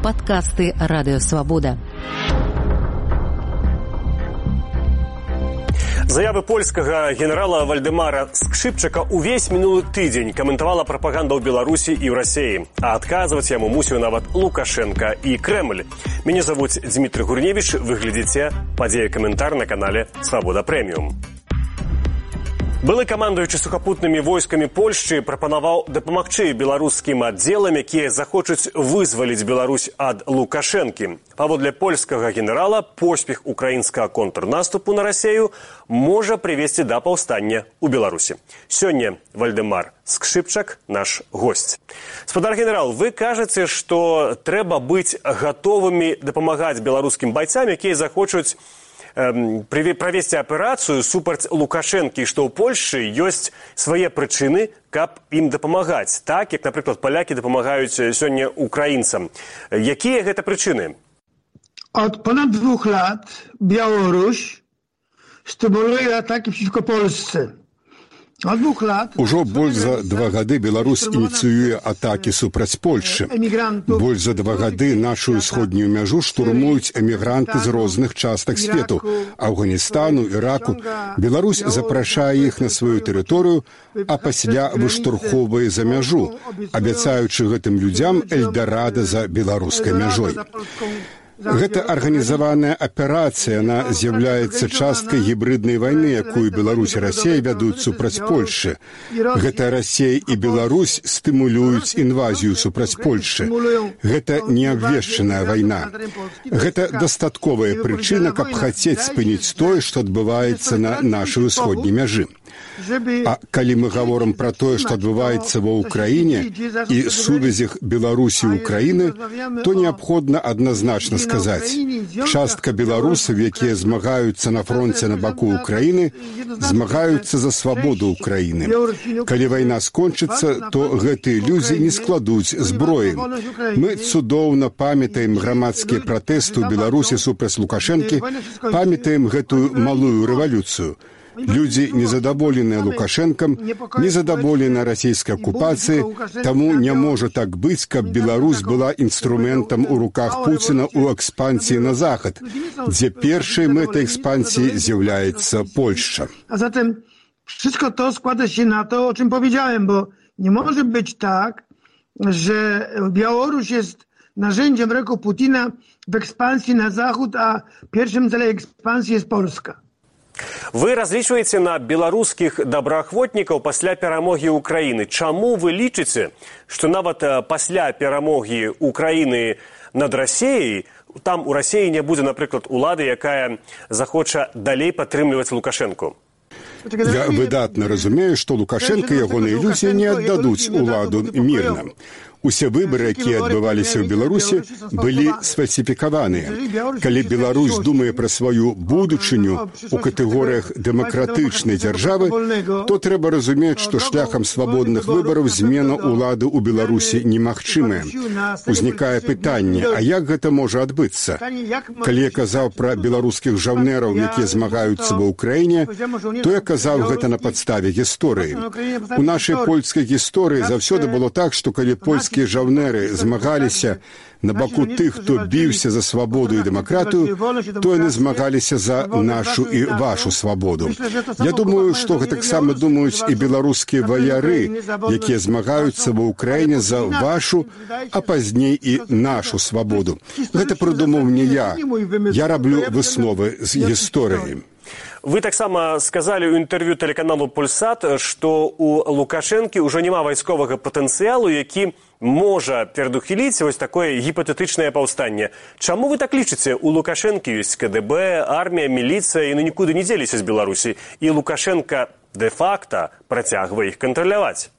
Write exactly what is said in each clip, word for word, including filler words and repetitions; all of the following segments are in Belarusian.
Падкасты Радыё Свабода. Заявы польскага генерала Вальдэмара Скшыпчака увесь мінулы тыдзень каментавала прапаганда ў Беларусі і ў Расіі, а адказваць яму мусіў нават Лукашенко і Кремль. Мяне завуць Дмітрий Гурневич, вы глядзіце падзея каментар на канале Свабода Прэміум. Былы камандуючы сухапутнымі войскамі Польшчы прапанаваў дапамагчы беларускім аддзелам, якія захочуць вызваліць Беларусь ад Лукашэнкі. Паводле польскага генерала, поспех украінскага контрнаступу на Расею можа прывесці да паўстання ў Беларусі. Сёння Вальдэмар Скшыпчак наш госць. Спадар генерал, вы кажаце, што трэба быць гатовымі дапамагаць беларускім байцам, якія захочуць правесці аперацыю супраць Лукашэнкі, што ў Польшчы ёсць свае прычыны, каб ім дапамагаць, так, як, напрыклад, палякі дапамагаюць сёння украінцам. Якія гэта прычыны? Od ponad dwóch lat Białoruś stymuluje ataki przeciwko Polsce. Ужо больш за два гады Беларусь ініцыюе атакі супраць Польшчы. Больш за два гады нашу ўсходнюю мяжу штурмуюць эмігранты з розных частак свету – Афганістану, Іраку. Беларусь запрашае іх на сваю тэрыторыю, а пасля выштурхоўвае за мяжу, абяцаючы гэтым людзям эльдарада за беларускай мяжой. Гэта арганізаваная аперацыя, яна з'яўляецца часткай гібрыднай вайны, якую Беларусь і Расія вядуць супраць Польшчы. Гэта Расія і Беларусь стымулююць інвазію супраць Польшчы. Гэта неабвешчаная вайна. Гэта дастатковая прычына, каб хацець спыніць тое, што адбываецца на нашай усходняй мяжы. А калі мы гаворым пра тое, што адбываецца ва ўкраіне і сувязях Беларусі і Украіны, то неабходна адназначна сказаць. Частка беларусаў, якія змагаюцца на фронце на баку Украіны, змагаюцца за свабоду Украіны. Калі вайна скончыцца, то гэтыя людзі не складуць зброі. Мы цудоўна памятаем грамадскія пратэсты ў Беларусі супраць Лукашэнкі, памятаем гэтую малую рэвалюцыю. Людзі незадаволеныя Лукашэнкам, незадаволеныя расійскай акупацыяй, таму не можа так быць, каб Беларусь была інструментам у руках Пуціна ў экспансіі на захад, дзе першай мэтай экспансіі з'яўляецца Польшча. A zatem wszystko to składa się na to, o czym powiedziałem, bo nie może być tak, że Białoruś jest narzędziem w ręku Putina w ekspansji na zachód, a pierwszym celem ekspansji jest Polska. Вы разлічваеце на беларускіх добраахвотнікаў пасля перамогі Украіны. Чаму вы лічыце, што нават пасля перамогі Украіны над Расіяй, там у Расіі не будзе, напрыклад, улады, якая захоча далей падтрымліваць Лукашэнку? Я выдатна разумею, што Лукашэнка і ягоныя людзі не аддадуць уладу мірна. Усе выбары, якія адбываліся ў Беларусі, былі сфальсіфікаваныя. Калі Беларусь думае пра сваю будучыню у катэгорыях дэмакратычнай дзяржавы, то трэба разумець, што шляхам свабодных выбараў змена ўлады ў Беларусі немагчымая. Узнікае пытанне, а як гэта можа адбыцца? Калі я казаў пра беларускіх жаўнераў, якія змагаюцца ва ўкраіне, то я казаў гэта на падставе гісторыі. У нашай польскай гісторыі заўсёды было так, што калі польскі жаўнеры змагаліся на баку тых, хто біўся за свабоду і дэмакратыю, то яны змагаліся за нашу і вашу свабоду. Я думаю, што гэтаксама думаюць і беларускія ваяры, якія змагаюцца ва ўкраіне за вашу, а пазней і нашу свабоду. Гэта прыдумаў не я. Я раблю высновы з гісторыі. Вы таксама сказалі ў інтэрв'ю тэлеканалу «Пульсат», што ў Лукашэнкі ўжо няма вайсковага патэнцыялу, які можа перадухіліць вось такое гіпатэтычнае паўстанне. Чаму вы так лічыце? У Лукашэнкі ёсць ка дэ бэ, армія, міліцыя, і нікуды не дзеліся з Беларусі. І Лукашэнка дэ-факта працягвае іх кантраляваць.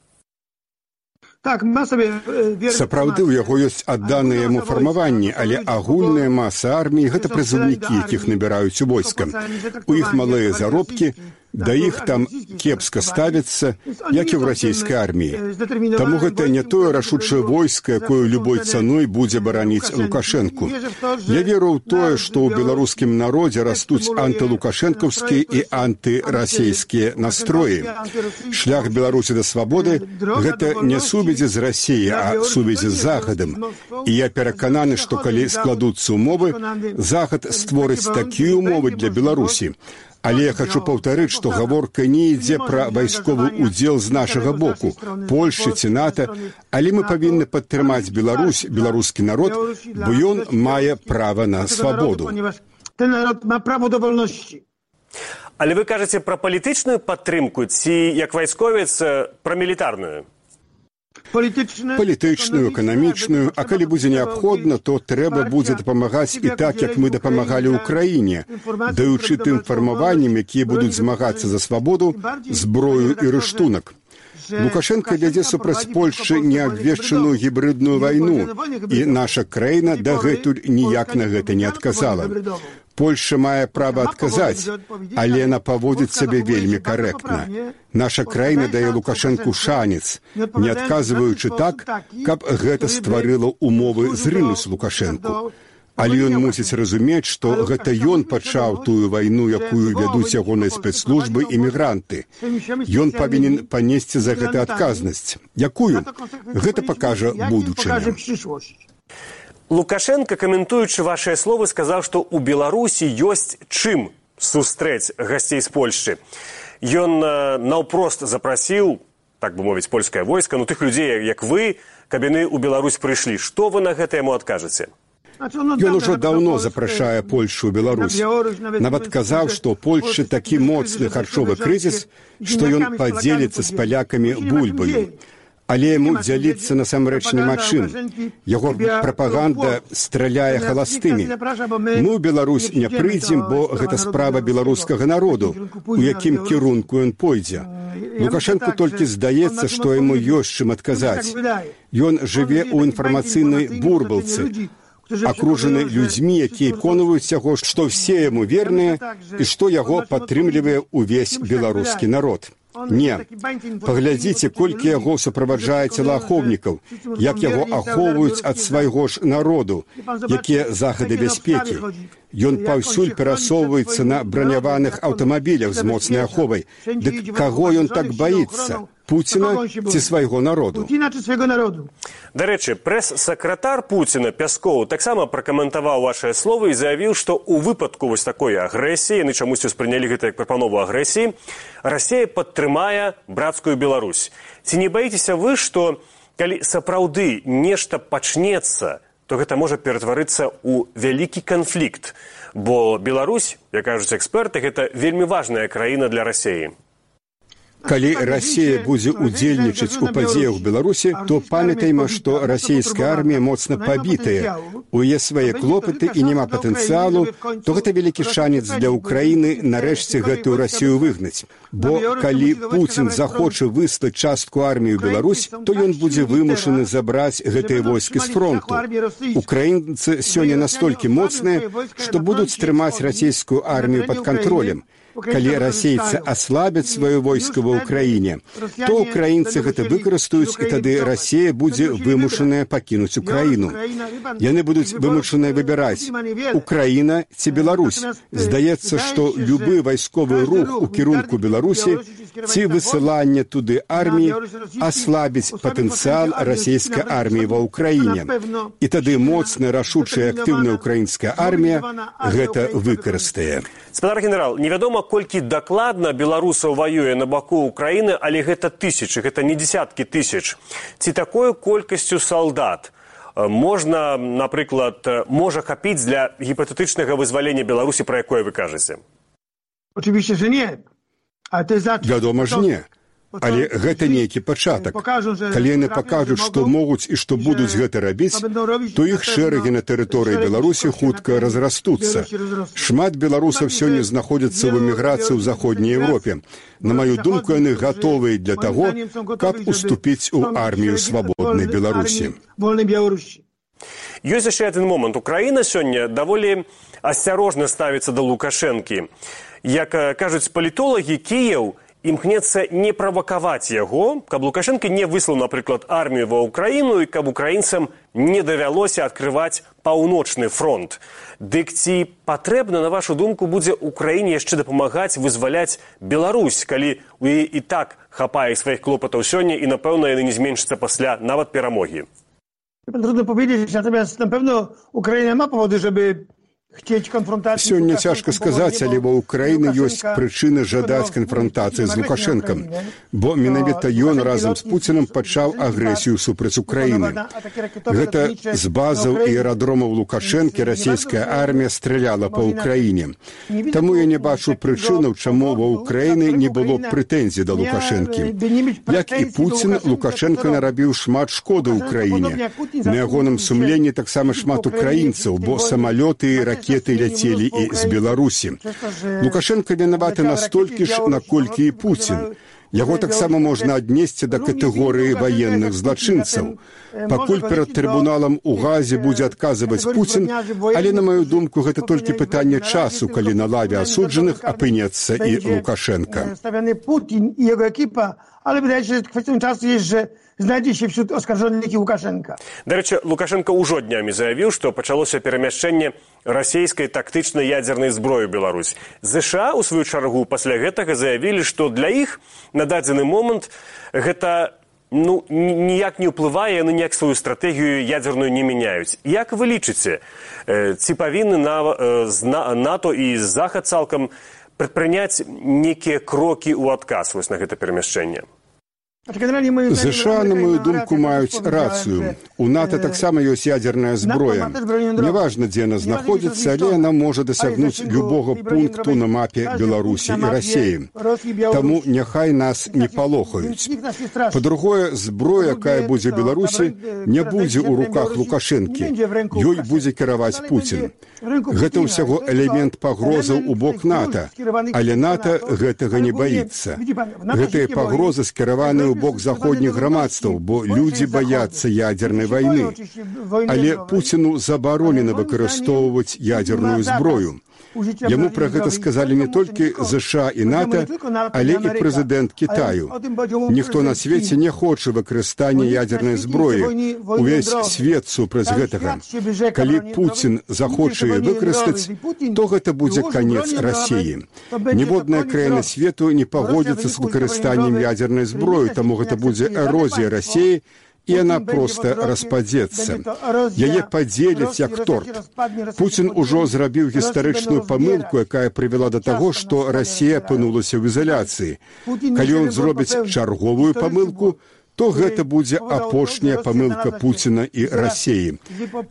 Сапраўды, у яго ёсць адданыя яму фармаванні, але агульная маса арміі – гэта прызыўнікі, якіх набіраюць у войска. У іх малыя заробкі, Да іх там кепска ставіцца, як і ў расійскай арміі. Таму гэта не тое рашучае войска, якое любой цаной будзе бараніць Лукашэнку. Я веру ў тое, што ў беларускім народзе растуць антылукашэнкаўскія і антырасійскія настроі. Шлях Беларусі да свабоды – гэта не сувязі з Расіяй, а сувязі з Захадам. І я перакананы, што калі складуцца умовы, Захад створыць такія умовы для Беларусі. Але я хочу паўтарыць, што гаворка не ідзе пра вайсковы ўдзел з нашага боку, Польшчы ці НАТО, але мы павінны падтрымаць Беларусь, беларускі народ, бо ён мае права на свабоду. Ten naród ma prawo do wolności. Але вы кажаце пра палітычную падтрымку ці, як вайсковец, пра мілітарную? Палітычную, эканамічную, а калі будзе неабходна, то трэба будзе дапамагаць і так, як мы дапамагалі ўкраіне, даючы тым фармаванням, якія будуць змагацца за свабоду, зброю і рыштунак. Лукашенко вядзе супраць Польшчы неабвешчаную гібридную вайну, і наша краіна дагэтуль ніяк на гэта не адказала. Польша мае права адказаць, але яна паводзіць сябе вельмі карэктна. Наша краіна дае Лукашэнку шанец, не адказваючы так, каб гэта стварыла умовы зрынуць Лукашэнку. Але ён мусіць разумець, што гэта ён пачаў тую вайну, якую вядуць ягоныя спецслужбы і мігранты. Ён павінен панесці за гэта адказнасць. Якую? Гэта пакажа будучыня. Лукашенко, каментуючы вашыя словы, сказаў, што ў Беларусі ёсць чым сустрэць гасцей з Польшчы. Ён наўпрост запрасіў, так бы мовіць, польскае войска, ну тых людзей, як вы, каб яны ў Беларусь прыйшлі. Што вы на гэта яму адкажаце? Ён ужо даўно запрашае Польшу ў Беларусь. Нават казаў, што ў Польшчы такі моцны харчовы крызіс, што ён падзеліцца з палякамі бульбаю. Але яму дзяліцца насамрэч няма чым. Яго прапаганда страляе халастымі. Мы ў Беларусь не прыйдзем, бо гэта справа беларускага народу, у якім кірунку ён пойдзе. Лукашэнку толькі здаецца, што яму ёсць чым адказаць. Ён жыве ў інфармацыйнай бурбалцы, акружаны людзьмі, якія пераконваюць яго, што ўсе яму верныя і што яго падтрымлівае ўвесь беларускі народ. Не. Паглядзіце, колькі яго суправаджае целаахоўнікаў, як яго ахоўваюць ад свайго ж народу, якія захады бяспекі. Ён паўсюль перасоўваецца на браняваных аўтамабілях з моцнай аховай. Дык каго ён так баіцца? Пуціна ці свайго народу? Дарэчы, прэс-сакратар Пуціна Пяскоў таксама пракаментаваў вашыя словы і заявіў, што ў выпадку вось такой агрэсіі, яны чамусьці ўспрынялі гэта як прапанову агрэсіі, Расія падтрымае брацкую Беларусь. Ці не баіцеся вы, што калі сапраўды нешта пачнецца, то гэта можа ператварыцца ў вялікі канфлікт, бо Беларусь, як кажуць эксперты, гэта вельмі важная краіна для Расіі. Калі Расія будзе ўдзельнічаць у падзеях Беларусі, то памятайма, што расійская армія моцна пабітая, у яе свае клопаты і няма патэнцыялу, то гэта вялікі шанец для Ўкраіны нарэшце гэтую Расію выгнаць. Бо калі Пуцін захоча выслаць частку арміі ў Беларусь, то ён будзе вымушаны забраць гэтыя войскі з фронту. Украінцы сёння настолькі моцныя, што будуць трымаць расійскую армію пад кантролем. Калі расейцы аслабяць сваё войска ва ўкраіне, то украінцы гэта выкарыстаюць, і тады Расія будзе вымушаная пакінуць Украіну. Яны будуць вымушаныя выбіраць, Украіна ці Беларусь. Здаецца, што любы вайсковы рух у кірунку Беларусі ці высыланне туды арміі аслабіць патэнцыял расійскай арміі ва ўкраіне. І тады моцная, рашучая, актыўная украінская армія гэта выкарыстае. Спадар генерал, невядома, колькі дакладна беларусаў ваюе на баку Украіны, але гэта тысячы, гэта не дзесяткі тысяч. Ці такою колькасцю солдат можна, напрыклад, можа хапіць для гіпатэтычнага вызвалення Беларусі, пра якое вы кажаце? Вядома ж не. Але гэта нейкі пачатак. Калі яны пакажуць, што могуць і што будуць гэта рабіць, то іх шэрагі на тэрыторыі Беларусі хутка разрастуцца. Шмат беларусаў сёння знаходзяцца ў эміграцыі ў заходняй Еўропе. На маю думку, яны гатовыя для таго, каб уступіць у армію свабоднай Беларусі. Ёсць яшчэ адзін момант. Украіна сёння даволі асцярожна ставіцца да Лукашэнкі. Як кажуць палітолагі, Кіеў імкнецца не правакаваць яго, каб Лукашэнка не выслаў, напрыклад, армію ва Ўкраіну і каб украінцам не давялося адкрываць паўночны фронт. Дык ці патрэбна, на вашу думку, будзе Украіне яшчэ дапамагаць вызваляць Беларусь, калі у яе і так хапае сваіх клопатаў сёння і, напэўна, яны не зменшацца пасля нават перамогі? Trudno powiedzieć, natomiast na pewno Ukraina ma powody, żeby chcieć konfrontacji. Сёння цяжка сказаць, але ва Ўкраіны ёсць прычыны жадаць канфронтацыі з Лукашэнкам, бо менавіта ён разам з Пуцінам пачаў агрэсію супраць Украіны. Гэта з базаў і аэрадромаў Лукашэнкі расійская армія страляла па Ўкраіне. Таму я не бачу прычынаў, чаму ва Ўкраіны не было прэтэнзій да Лукашэнкі. Як і Пуцін, Лукашэнка нарабіў шмат шкоды Ўкраіне. На ягоным сумленні таксама шмат украінцаў, бо самалёты і ракеты ракеты ляцелі і з Беларусі. Лукашэнка вінаваты настолькі ж, наколькі і Пуцін. Яго таксама можна аднесці да катэгорыі ваенных злачынцаў. Пакуль перад трыбуналам у Газе будзе адказваць Пуцін, але, на маю думку, гэта толькі пытанне часу, калі на лаве асуджаных апынецца і Лукашэнка. Путін і яго екіпа, але, wydaje się, że kwestią czasu jest, że znajdzie się wśród oskarżonych i Łukaszenka. Дарэчы, Лукашенко ўжо днямі заявіў, што пачалося перамяшчэнне расійскай тактычнай ядзернай зброі ў Беларусь. ЗША, у сваю чаргу, пасля гэтага заявілі, што для іх на дадзены момант гэта ну, ніяк не ўплывае, яны ніяк сваю стратэгію ядзерную не мяняюць. Як вы лічыце, ці павінны НАТО і Захад цалкам прадпрыняць нейкія крокі ў адказ вось на гэта перамяшчэнне? ЗША, на мою думку, маюць рацыю. У НАТО таксама ёсць ядзерная зброя. Неважна, дзе яна знаходзіцца, але яна можа дасягнуць любога пункту на мапе Беларусі і Расіі. Таму няхай нас не палохаюць. Па-другое, зброя, якая будзе ў Беларусі, не будзе ў руках Лукашэнкі. Ёй будзе кіраваць Пуцін. Гэта ўсяго элемент пагрозаў у бок НАТО, але НАТО гэтага не баіцца. Гэтыя пагрозы скіраваны ў бок заходніх грамадстваў, бо людзі баяцца ядзернай вайны. Але Пуціну забаронена выкарыстоўваць ядзерную зброю. Яму пра гэта сказалі не толькі ЗША і НАТО, але і прэзідэнт Кітаю. Ніхто на свеце не хоча выкарыстання ядзернай зброі. Увесь свет супраць гэтага. Калі Пуцін захоча яе выкарыстаць, то гэта будзе канец Расіі. Ніводная краіна свету не пагодзіцца з выкарыстаннем ядзернай зброі, таму гэта будзе эрозія Расіі, і яна проста распадзецца. Яе падзеляць як торт. Пуцін ужо зрабіў гістарычную памылку, якая прывяла да таго, што Расія апынулася ў изоляцыі. Калі ён зробіць чарговую памылку, то гэта будзе апошняя памылка Пуціна і Расіі.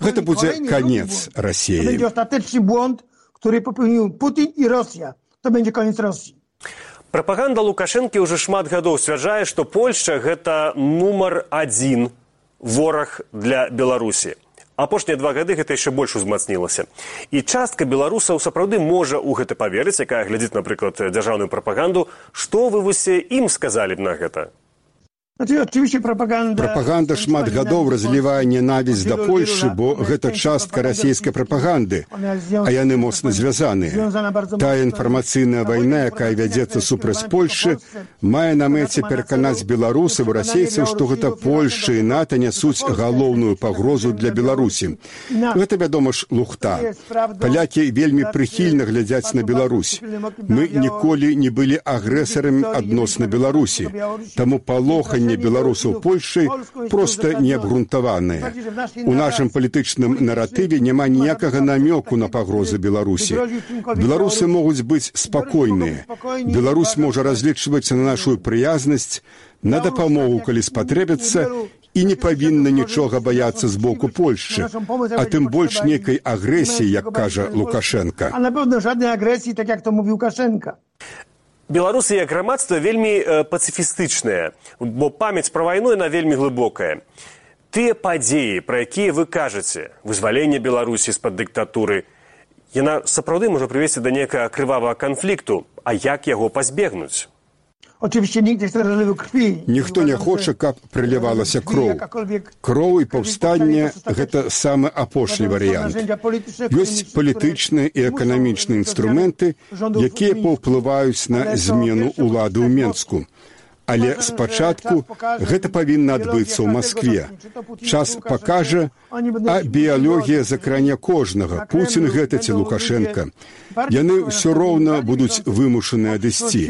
Гэта будзе канец Расіі. To będzie ostateczny błąd, który popełnił Putin i Rosja. To będzie koniec Rosji. Прапаганда Лукашэнкі ўжо шмат гадоў сцвярджае, што Польшча гэта нумар адзін вораг для Беларусі. Апошнія два гады гэта яшчэ больш узмацнілася. І частка беларусаў сапраўды можа ў гэта паверыць, якая глядзіць, напрыклад, дзяржаўную прапаганду. Што вы вось ім сказалі б на гэта? Прапаганда шмат гадоў разлівае ненавісць да Польшы, бо гэта частка расійскай прапаганды, а яны моцна звязаныя. Тая інфармацыйная вайна, якая вядзецца супраць Польшы, мае на мэце пераканаць беларусаў і расейцаў, што гэта Польшча і НАТО нясуць галоўную пагрозу для Беларусі. Гэта, вядома ж, лухта. Палякі вельмі прыхільна глядзяць на Беларусь. Мы ніколі не былі агрэсарамі адносна Беларусі, таму палоханне беларусаў Польшчы проста неабгрунтаваныя. У нашым палітычным наратыве няма ніякага намёку на пагрозы Беларусі. Беларусы могуць быць спакойныя. Беларусь можа разлічваць на нашу прыязнасць, на дапамогу, калі спатрэбіцца, і не павінна нічога баяцца з боку Польшчы, а тым больш нейкай агрэсіі, як кажа Лукашенка. А напэўна, жаднай агрэсіі, так як то мовіў Лукашенка. Беларусы як грамадства вельмі э, пацыфістычныя, бо памяць пра вайну яна вельмі глыбокая. Тыя падзеі, пра якія вы кажаце, вызваленне Беларусі з-пад дыктатуры, яна сапраўды можа прывесці да некага крывавага канфлікту, а як яго пазбегнуць? Ніхто не хоча, каб прылівалася кроў. Кроў і паўстанне – гэта самы апошні варыянт. Ёсць палітычныя і эканамічныя інструменты, якія паўплываюць на змену ўлады ў Менску. Але спачатку гэта павінна адбыцца ў Маскве. Час пакажа, а біялогія закране кожнага, Пуцін гэта ці Лукашенка. Яны ўсё роўна будуць вымушаны адысці.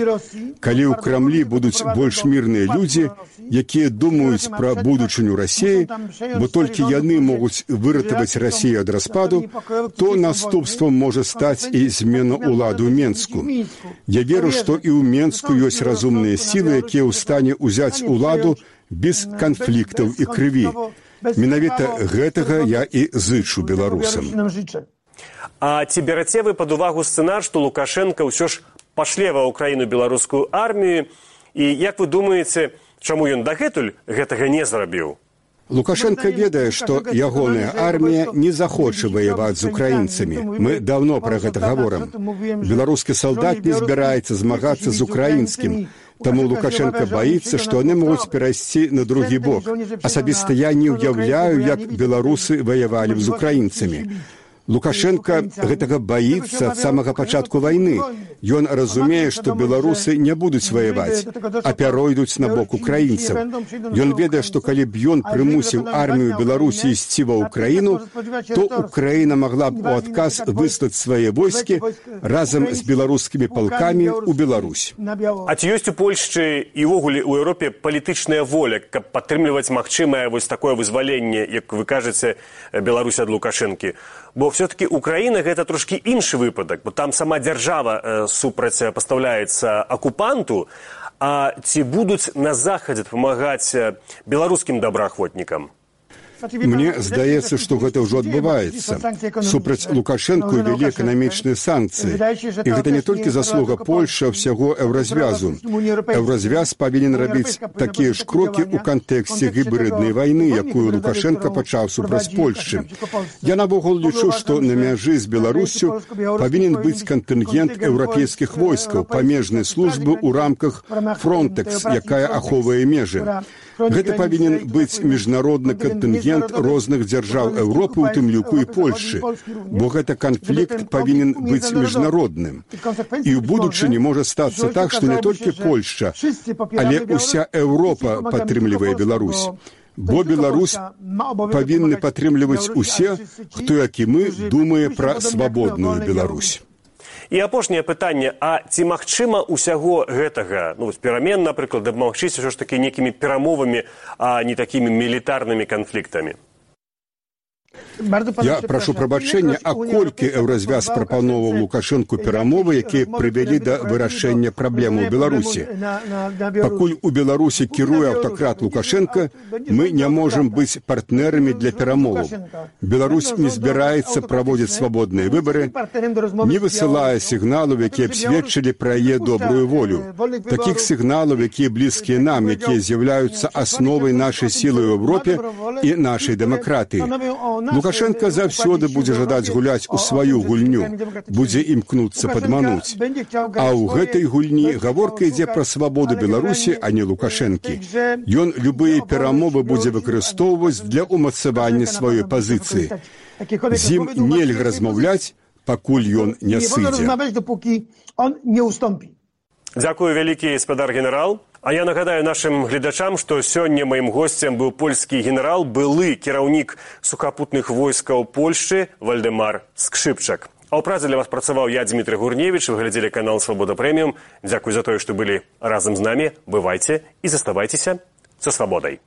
Калі ў Крамлі будуць больш мірныя людзі, якія думаюць пра будучыню Расіі, бо толькі яны могуць выратаваць Расію ад распаду, то наступствам можа стаць і змена ўлады ў Менску. Я веру, што і ў Менску ёсць разумныя сілы, якія ў стане ўзяць уладу без канфліктаў і крыві. Менавіта гэтага я і зычу беларусам. А ці бераце вы пад увагу сцэнар, што Лукашенка ўсё ж пашле ва Ўкраіну беларускую армію, і як вы думаеце, чаму ён дагэтуль гэтага не зрабіў? Лукашенко ведае, што ягоная армія не захоча ваяваць з украінцамі. Мы даўно пра гэта гаворым. Беларускі салдат не збіраецца змагацца з украінскім. Таму Лукашенко баіцца, што яны могуць перайсці на другі бок. Асабіста я не ўяўляю, як беларусы ваявалі б з украінцамі. Лукашенко гэтага баіцца ад самага пачатку вайны. Ён разумее, што беларусы не будуць ваяваць, а пяройдуць на бок украінцаў. Ён ведае, што калі б ён прымусіў армію Беларусі ісці ва Ўкраіну, то Украіна магла б у адказ выслаць свае войскі разам з беларускімі палкамі ў Беларусь. А ці ёсць у Польшчы і ўвогуле ў Еўропе палітычная воля, каб падтрымліваць магчымае вось такое вызваленне, як вы кажаце, Беларусь ад Лукашэнкі? Бо все-таки Украина – гэта трошки іншы выпадак, бо там сама дзяржава э, супрацьпастаўляецца акупанту, а ці будуць на Захадзе дапамагаць беларускім добраахвотнікам? Мне здаецца, што гэта ўжо адбываецца. Супраць Лукашэнку ввялі эканамічныя санкцыі. І гэта не толькі заслуга Польшы, а ўсяго Еўразвязу. Еўразвяз павінен рабіць такія ж крокі ў кантэксце гібриднай вайны, якую Лукашенко пачаў супраць Польшчы. Я навогул лічу, што на мяжы з Беларуссю павінен быць кантынгент еўрапейскіх войскаў, памежнай службы ў рамках Фронтекс, якая ахоўвае межы. Гэта павінен быць міжнародны кантынгент розных дзяржаў Еўропы, у тым ліку і Польшчы, бо гэта канфлікт павінен быць міжнародным. І ў будучыні можа стацца так, што не толькі Польшча, але ўся Еўропа падтрымлівае Беларусь. Бо Беларусь павінны падтрымліваць усе, хто, як і мы, думае пра свабодную Беларусь. І апошняе пытанне, а ці магчыма ўсяго гэтага, ну, перамен, напрыклад, дапамагчыся ўсё ж такі некімі перамовамі, а не такімі мілітарнымі канфліктамі? Я прашу прабачэння, а колькі Еўразвяз прапановаў Лукашэнку перамовы, якія прывялі да вырашэння праблемаў Беларусі. Пакуль у Беларусі кіруе аўтакрат Лукашенка, мы не можам быць партнерамі для перамоваў. Беларусь не збіраецца праводзіць свабодныя выбары, не высылае сігналаў, якія б сведчылі пра яе добрую волю. Такіх сігналаў, якія блізкія нам, якія з'яўляюцца асновай нашай сілы ў Еўропе і нашай дэмакратыі. Лукашенко заўсёды будзе жадаць гуляць у сваю гульню, будзе імкнуцца падмануць. А ў гэтай гульні гаворка ідзе пра свабоду Беларусі, а не Лукашэнкі. Ён любыя перамовы будзе выкарыстоўваць для ўмацавання сваёй пазіцыі. З ім нельга размаўляць, пакуль ён не сыдзе. Дзякую вялікі, гаспадар генерал. А я нагадаю нашым гледачам, што сёння маім госцем быў польскі генерал, былы кіраўнік сухапутных войскаў Польшчы Вальдэмар Скшыпчак. А ў працы для вас працаваў я, Дмітрый Гурневіч, вы глядзелі канал «Свабода Прэміум». Дзякуй за тое, што былі разам з намі. Бывайце і заставайцеся са свабодай.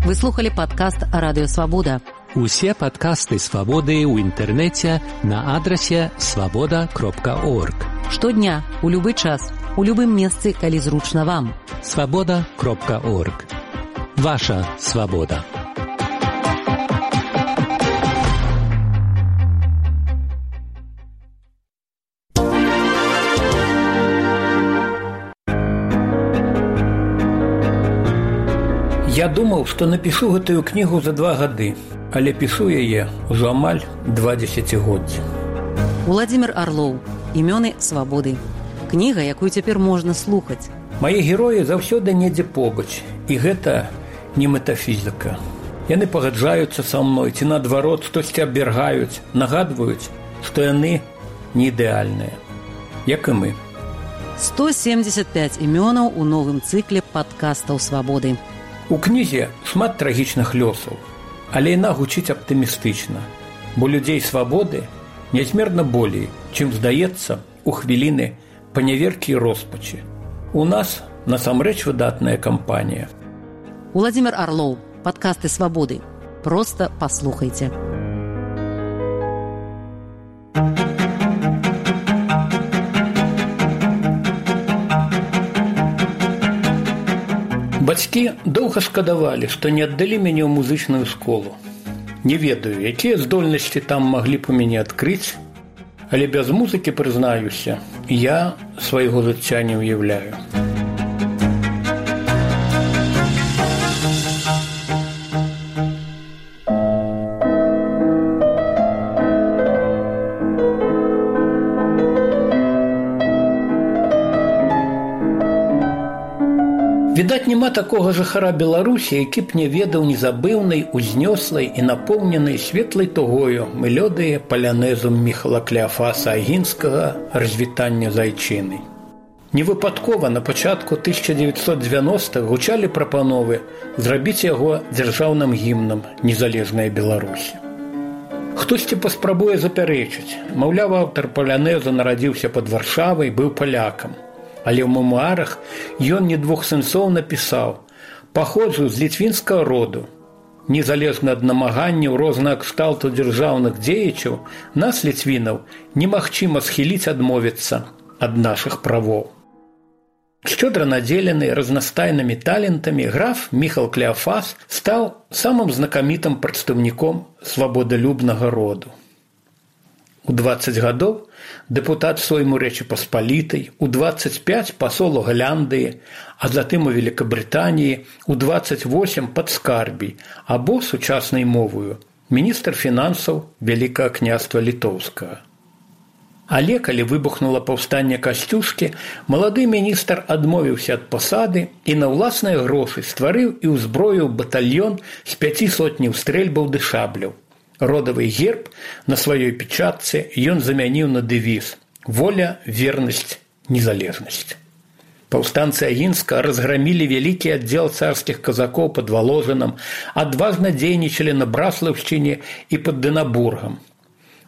Вы слухали падкаст «Радыё Свабода». Усе падкасты «Свабоды» ў інтэрнэце на адрасе свабода кропка орг. Штодня, у любы час, у любым месцы, калі зручна вам. свабода кропка орг. Ваша свабода. Я думаў, што напішу гэтую кнігу за два гады, але пішу яе ўжо амаль два дзесяцігоддзі. Уладзімір Арлоў. Імёны свабоды. Кніга, якую цяпер можна слухаць. Мае героі заўсёды недзе побач, і гэта не метафізіка. Яны пагаджаюцца са мной, ці наадварот, штосьці абвяргаюць, нагадваюць, што яны не ідэальныя, як і мы. сто семьдесят пять імёнаў у новым цыкле падкастаў «Свабоды». У кнізе шмат трагічных лёсаў, але яна гучыць аптымістычна, бо людзей свабоды нязмерна болей, чым здаецца у хвіліны паняверкі і роспачы. У нас насамрэч выдатная кампанія. Уладзімір Арлоў, падкасты «Свабоды». Проста паслухайце. Бацькі доўга шкадавалі, што не аддалі мяне ў музычную школу. Не ведаю, якія здольнасці там маглі б у мяне адкрыць, але без музыкі, прызнаюся, я свайго жыцця не ўяўляю. Відаць, няма такога жыхара Беларусі, які б не ведаў незабыўнай, узнёслай і напоўненай светлай тугою мелодыі палянезу Міхала Клеафаса Агінскага «Развітання з айчынай». Невыпадкова на пачатку тысяча девятьсот девяностых гучалі прапановы зрабіць яго дзяржаўным гімнам незалежнай Беларусі. Хтосьці паспрабуе запярэчыць, маўляў, аўтар палянезу нарадзіўся пад Варшавай, быў палякам. Але ў мемуарах ён не двух сэнсоў напісаў: «Паходжу з літвінскага роду. Незалежна ад намаганняў рознага кшталту дзяржаўных дзеячаў, нас, літвінаў, немагчыма схіліць адмовіцца ад нашых правоў». Шчодра надзелены разнастайнымі талентамі, граф Міхал Клеафас стаў самым знакамітым прадстаўніком свабодалюбнага роду. У дваццаць гадоў дэпутат Сойму Рэчы Паспалітай, у дваццаць пяць пасол у Галляндыі, а затым у Великабрытаніі, у дваццаць восем падскарбій, або сучаснай мовою міністр фінансаў Вялікага княства Літоўскага. Але калі выбухнула паўстанне Касцюшкі, малады міністр адмовіўся ад пасады і на ўласныя грошы стварыў і ўзброіў батальён з пяці сотняў стрэльбаў ды шабляў. Родавы герб на сваёй печатцы ён замяніў на дэвіз «Воля, вернасць, незалежнасць». Паўстанцы Агінска разграмілі вялікі аддзел царскіх казакоў пад Валожынам, адважна дзейнічалі на Браслаўшчыне і пад Дынабургам.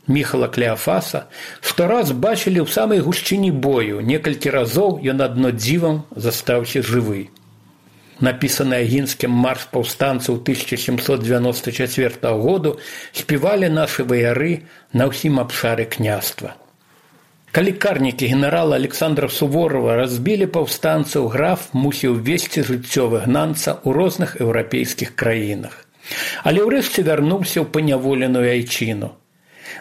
Міхала Клеафаса штораз бачылі ў самай гушчыні бою, некалькі разоў ён адно дзівам застаўся жывы. Напісаны Агінскім марш паўстанцаў тысяча сямсот девяносто четвёртого году спевали наши вояры на ўсім абшары княства. Калі карнікі генерала Александра Суворова разбілі паўстанцаў, граф мусіў весці жыццё выгнанца ў розных еўрапейскіх краінах. Але ўрэшце вярнуўся ў паняволеную айчыну.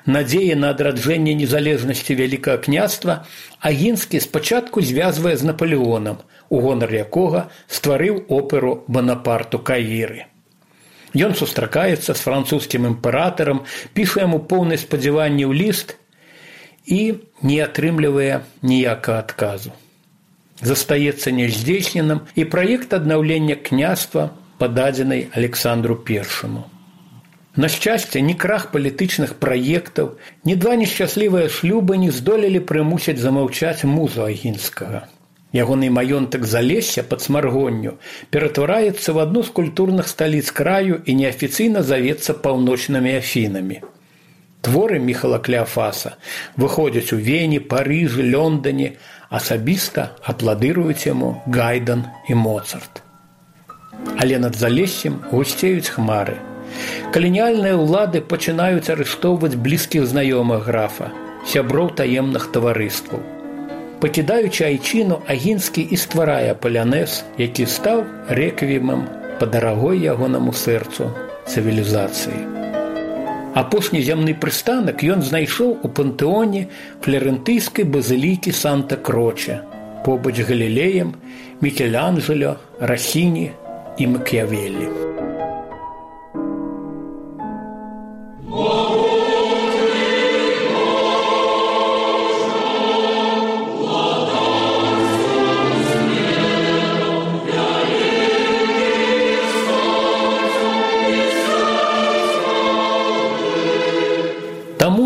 Надзеі на адраджэнне незалежнасці Вялікага княства Агінскі спачатку звязвае з Напалеонам, у гонар якога стварыў оперу «Бонапарту Каіры». Ён сустракаецца з французскім імператарам, піша яму поўны спадзяванняў ліст і не атрымлівае ніякага адказу. Застаецца няздзейсненым і праект аднаўлення княства, пададзены Александру Першаму. На шчасце, ні крах палітычных праектаў, ні два нешчаслівыя шлюбы не здолелі прымусіць замаўчаць музу Агінскага. Ягоны маёнтак Залесся пад Смаргонню ператвараецца в адну з культурных сталіц краю і неафіцыйна завецца паўночнымі Афінамі. Творы Міхала Клеафаса выходзяць у Вені, Парыжы, Лондоне, асабіста апладыруюць яму Гайдан і Моцарт. Але над Залессем гусцеюць хмары. Каланіяльныя ўлады пачынаюць арыштоўваць блізкіх знаёмых графа, сяброў таемных таварыстваў. Пакідаючы айчыну, Агінскі і стварае палянез, які стаў рэквіемам па дарагой ягонаму сэрцу цывілізацыі. Апошні зямны прыстанак ён знайшоў у пантэоне фларэнтыйскай базылікі Санта-Кроче, побач з Галілеем, Мікеланджело, Расіні і Макіявеллі.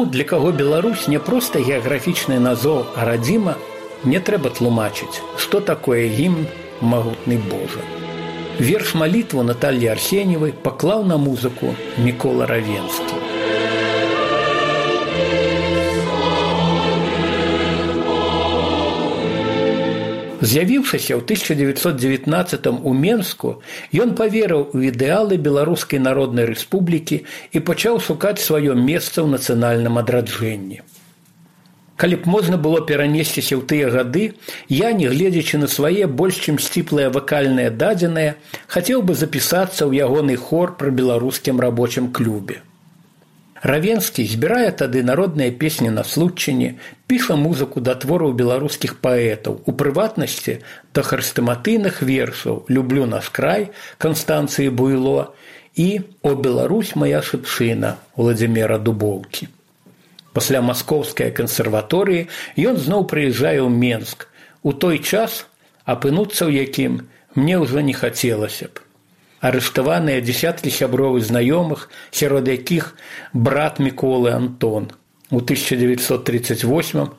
Тым, для каго Беларусь не проста геаграфічны назоў, а радзіма, не трэба тлумачыць, што такое гімн «Магутны Божа». Верш малітву Натальі Арсеньевай паклаў на музыку Мікола Равенскі. З'явіўшыся ў тысяча дзевяцьсот дзевятнаццатым у Менску, ён паверыў у ідэалы Беларускай Народнай Рэспублікі і пачаў шукаць сваё месца ў нацыянальным адраджэнні. Калі б можна было перанесціся ў тыя гады, я, не гледзячы на свае больш чым сціплыя вакальныя дадзеныя, хацеў бы запісацца ў ягоны хор пры беларускім рабочым клубе. Равенскі збірае тады народныя песні на случчыне, піша музыку да твораў беларускіх паэтаў, у прыватнасці да хрэстаматыйных вершаў «Люблю наш край» Канстанцыі Буйло і «О Беларусь, моя шыпшына» Владзіміра Дубоўкі. Пасля маскоўскай кансерваторыі ён зноў прыязджае ў Менск. У той час, апынуцца ў якім мне ўжо не хацелася б. Арыштаваныя дзесяткі сяброў і знаёмых, сярод якіх брат Міколы Антон. У тысяча дзевяцьсот тридцать восьмым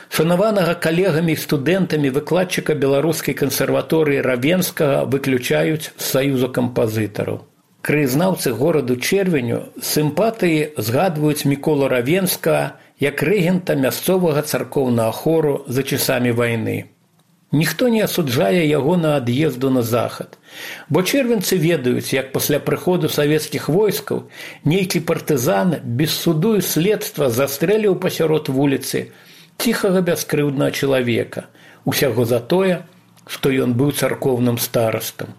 шанаванага калегамі і студэнтамі выкладчыка беларускай кансерваторыі Равенскага выключаюць з саюза кампазітараў. Краязнаўцы гораду Чэрвеню з сімпатыі згадваюць Міколу Равенскага як рэгента мясцовага царкоўнага хору за часамі вайны. Ніхто не асуджае яго на ад'езду на захад, бо чэрвенцы ведаюць, як пасля прыходу савецкіх войскаў нейкі партызан без суду і следства застрэліў пасярод вуліцы ціхага бяскрыўднага чалавека, усяго за тое, што ён быў царкоўным старастам.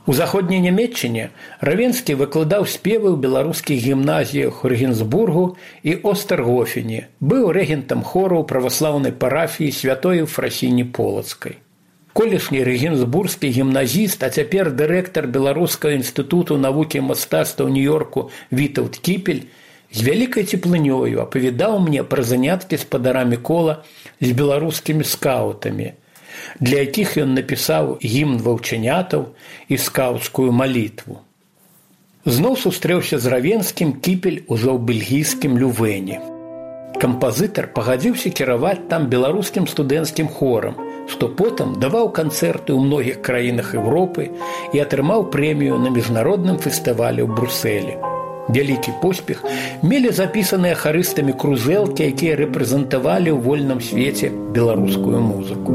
У заходняй Нямецчыне Равенскі выкладаў спевы ў беларускіх гімназіях у Рэгенсбургу і Остергофене, быў рэгентам хору ў праваслаўнай парафіі святой Ефрасіні Полацкай. Колішні рэгенсбургскі гімназіст, а цяпер дырэктар Беларускага інстытуту навукі і мастацтва ў Нью-Йорку Вітаўт Кіпель з вялікай цеплынёю апавядаў мне пра заняткі спадара Мікола з беларускімі скаутамі, для якіх ён напісаў гімн ваўчанятаў і скаўцкую малітву. Зноў сустрэўся з Равенскім Кіпель ужо ў бельгійскім Лювэне. Кампазітар пагадзіўся кіраваць там беларускім студэнцкім хорам, што потым даваў канцэрты ў многіх краінах Еўропы і атрымаў прэмію на міжнародным фестывалі ў Брусэлі. Вялікі поспех мелі запісаныя харыстамі крузэлкі, якія рэпрэзентавалі ў вольным свеце беларускую музыку.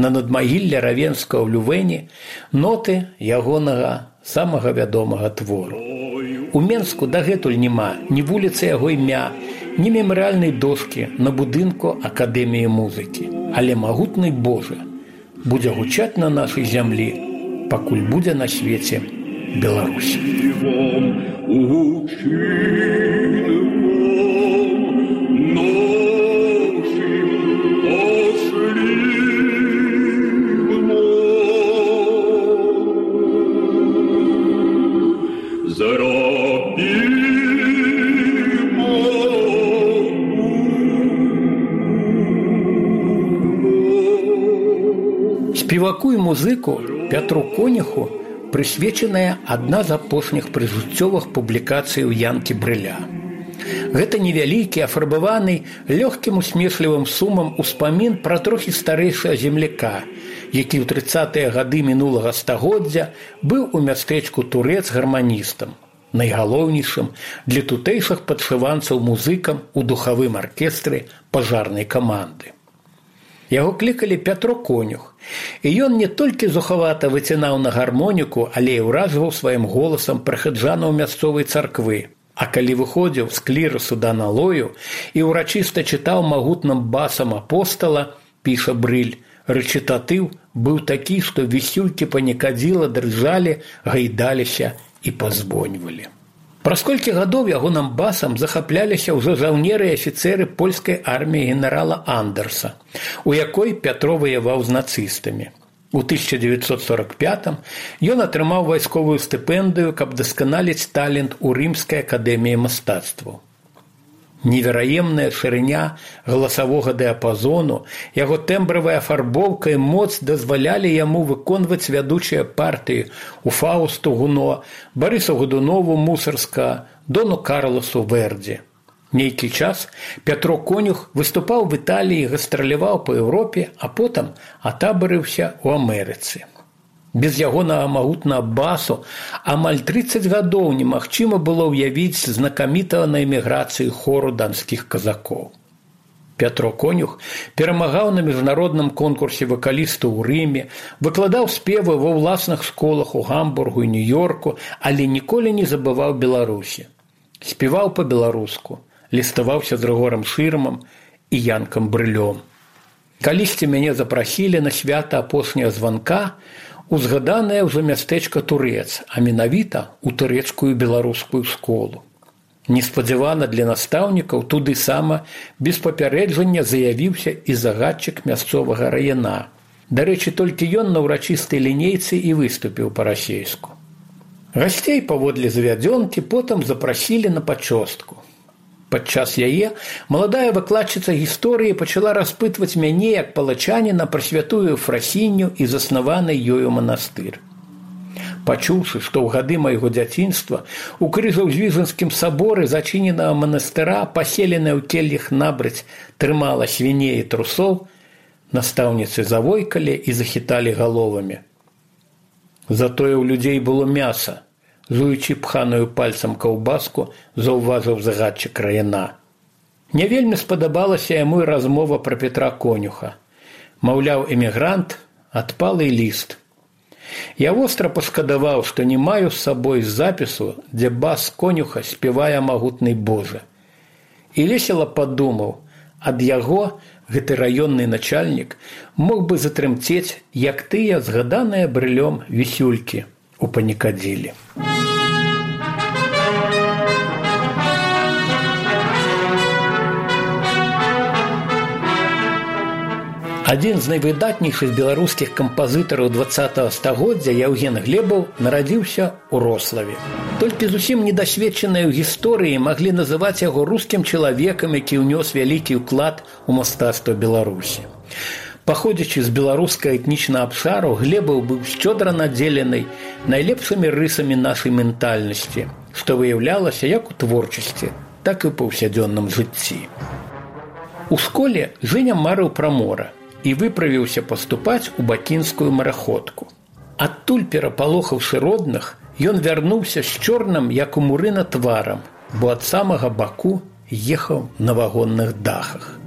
На надмагілле Равенскага ў Лювэне ноты ягонага самага вядомага твору. У Менску дагэтуль няма ні вуліцы яго імя, ні мемарыяльнай дошкі на будынку Акадэміі музыкі. Але магутны Божа будзе гучаць на нашай зямлі, пакуль будзе на свеце Беларусь. Спеваку і музыку Пятру Конюху прысвечаная адна з апошніх прыжыццёвых публікацый у Янкі Брыля. Гэта невялікі, афарбаваны лёгкім усмешлівым сумам успамін пра трохі старэйшага земляка, які ў трыццатыя гады мінулага стагоддзя быў у мястэчку Турэц гарманістам, найгалоўнейшым для тутэйшых падшыванцаў музыкам у духавым аркестры пажарнай каманды. Яго клікалі Пятро Конюх, і ён не толькі зухавата выцінаў на гармоніку, але і ўражваў сваім голасам прыхаджанаў мясцовай царквы. А калі выходзіў з клірасу да налою і ўрачыста чытаў магутным басам апостала, піша Брыль, рэчытатыў быў такі, што вісюлькі панікадзіла дрыжалі, гайдаліся і пазвоньвалі. Праз колькі гадоў ягоным басам захапляліся ўжо жаўнеры і афіцэры польскай арміі генерала Андерса, у якой Пятро ваяваў з нацыстамі. У тысяча девятьсот сорок пятым ён атрымаў вайсковую стыпендыю, каб дасканаліць талент у рымскай акадэміі мастацтваў. Невераемная шырыня галасавога дыяпазону, яго тэмбравая афарбоўка і моц дазвалялі яму выконваць вядучыя партыі у Фаусту Гуно, Барысу Годунову Мусарска, Дону Карласу Вердзі. Нейкі час Пятро Конюх выступаў в Італіі, гастраляваў па Еўропе, а потым атабарыўся ў Амерыцы. Без ягонага магутнага басу амаль трыццаць гадоў немагчыма было ўявіць знакамітага на эміграцыі хору данскіх казакоў. Пятро Конюх перамагаў на міжнародным конкурсе вакалістаў у Рыме, выкладаў спевы ва ўласных школах у Гамбургу і Нью-Йорку, але ніколі не забываў Беларусі. Спеваў па-беларуску, ліставаўся з Рыгорам Шырмам і Янкам Брылём. Калісьці мяне запрасілі на свята апошняга званка у згаданае ўжо мястэчка Турэц, а менавіта ў турэцкую беларускую школу. Неспадзявана для настаўнікаў туды сама без папярэджання заявіўся і загадчык мясцовага раяна. Дарэчы, толькі ён на ўрачыстай лінейцы і выступіў па-расейску. Гасцей паводле завядзёнкі потым запрасілі на пачостку. Падчас яе маладая выкладчыца гісторыі пачала распытваць мяне як палачаніна пра святую Ефрасінню і заснаваны ёю манастыр. Пачуўшы, што ў гады майго дзяцінства у Крыжаўзвіжанскім саборы зачыненага манастыра, паселеная ў келлях набрыць, трымала свіней і трусоў, настаўніцы завойкалі і захіталі галовамі. Затое ў людзей было мяса, жуючы пханую пальцам каўбаску, заўважыў загадчык раяна. Не вельмі спадабалася яму і размова пра Пятра Конюха. Маўляў, эмігрант, адпалы ліст. Я востра пашкадаваў, што не маю з сабой запісу, дзе бас Конюха спявае магутны Божа. І весела падумаў, ад яго гэты раённы начальнік мог бы затрымцець, як тыя згаданыя Брылём вісюлькі у панікадзілі. Адзін з найвыдатнейшых беларускіх кампазітараў дваццатага стагоддзя Яўген Глебаў нарадзіўся ў Рославе. Толькі зусім недасведчаныя ў гісторыі маглі называць яго рускім чалавекам, які ўнёс вялікі ўклад у мастацтва Беларусі. Паходзячы з беларускага этнічнага абшару, Глебаў быў шчодра надзелены найлепшымі рысамі нашай ментальнасці, што выяўлялася як у творчасці, так і ў паўсядзённым жыцці. У школе Жэня марыў пра мора і выправіўся паступаць у бакінскую мараходку. Адтуль, перапалохаўшы родных, ён вярнуўся з чорным, як у мурына, тварам, бо ад самага Баку ехаў на вагонных дахах.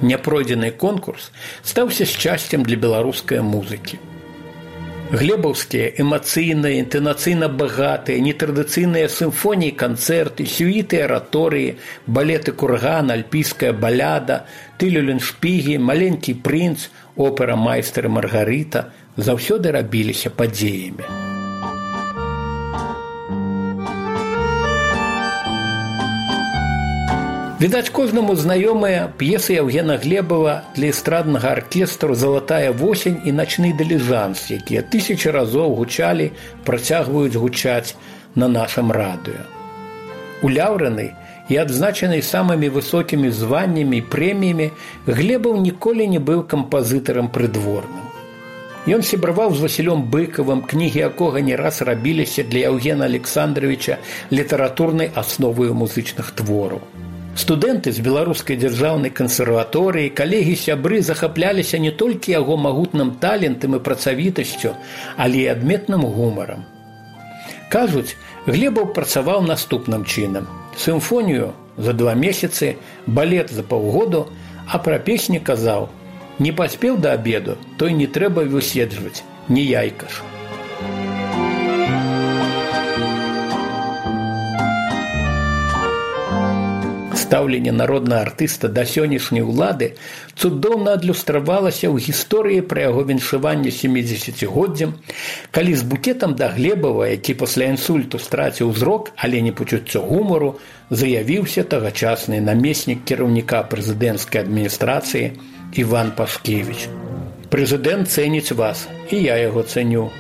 Няпройдзены конкурс стаўся шчасцем для беларускай музыкі. Глебаўскія эмацыйныя, інтанацыйна багатыя, нетрадыцыйныя сімфоніі, канцэрты, сюіты, араторыі, балеты «Курган», «Альпійская баляда», «Тылюленшпігі», «Маленькі прынц», опера «Майстар і Маргарыта» заўсёды рабіліся падзеямі. Відаць, кожнаму знаёмыя п'есы Яўгена Глебава для эстраднага аркестру «Залатая восень» і «Начны дыліжанс», якія тысячы разоў гучалі, працягваюць гучаць на нашым радыё. Уляўраны і адзначаны самымі высокімі званнямі і прэміямі, Глебаў ніколі не быў кампазітарам прыдворным. Ён сябраваў з Васілём Быкавым, кнігі якога не раз рабіліся для Яўгена Александровича літаратурнай асноваю музычных твораў. Студэнты з беларускай дзяржаўнай кансерваторыі, калегі-сябры захапляліся не толькі яго магутным талентам і працавітасцю, але і адметным гумарам. Кажуць, Глебаў працаваў наступным чынам. Сімфонію за два месяцы, балет за паўгоду, а пра песні казаў: «Не паспеў да абеду, той не трэба выседжваць, не яйка ж». Стаўленне народнага артыста да сённяшняй улады цудоўна адлюстравалася ў гісторыі пра яго віншаванне сямідзесяцігоддзям, калі з букетам да Глебава, які пасля інсульту страціў зрок, але не пачуццё гумару, заявіўся тагачасны намеснік кіраўніка прэзідэнцкай адміністрацыі Іван Пашкевіч. Прэзідэнт цэніць вас, і я яго цэню.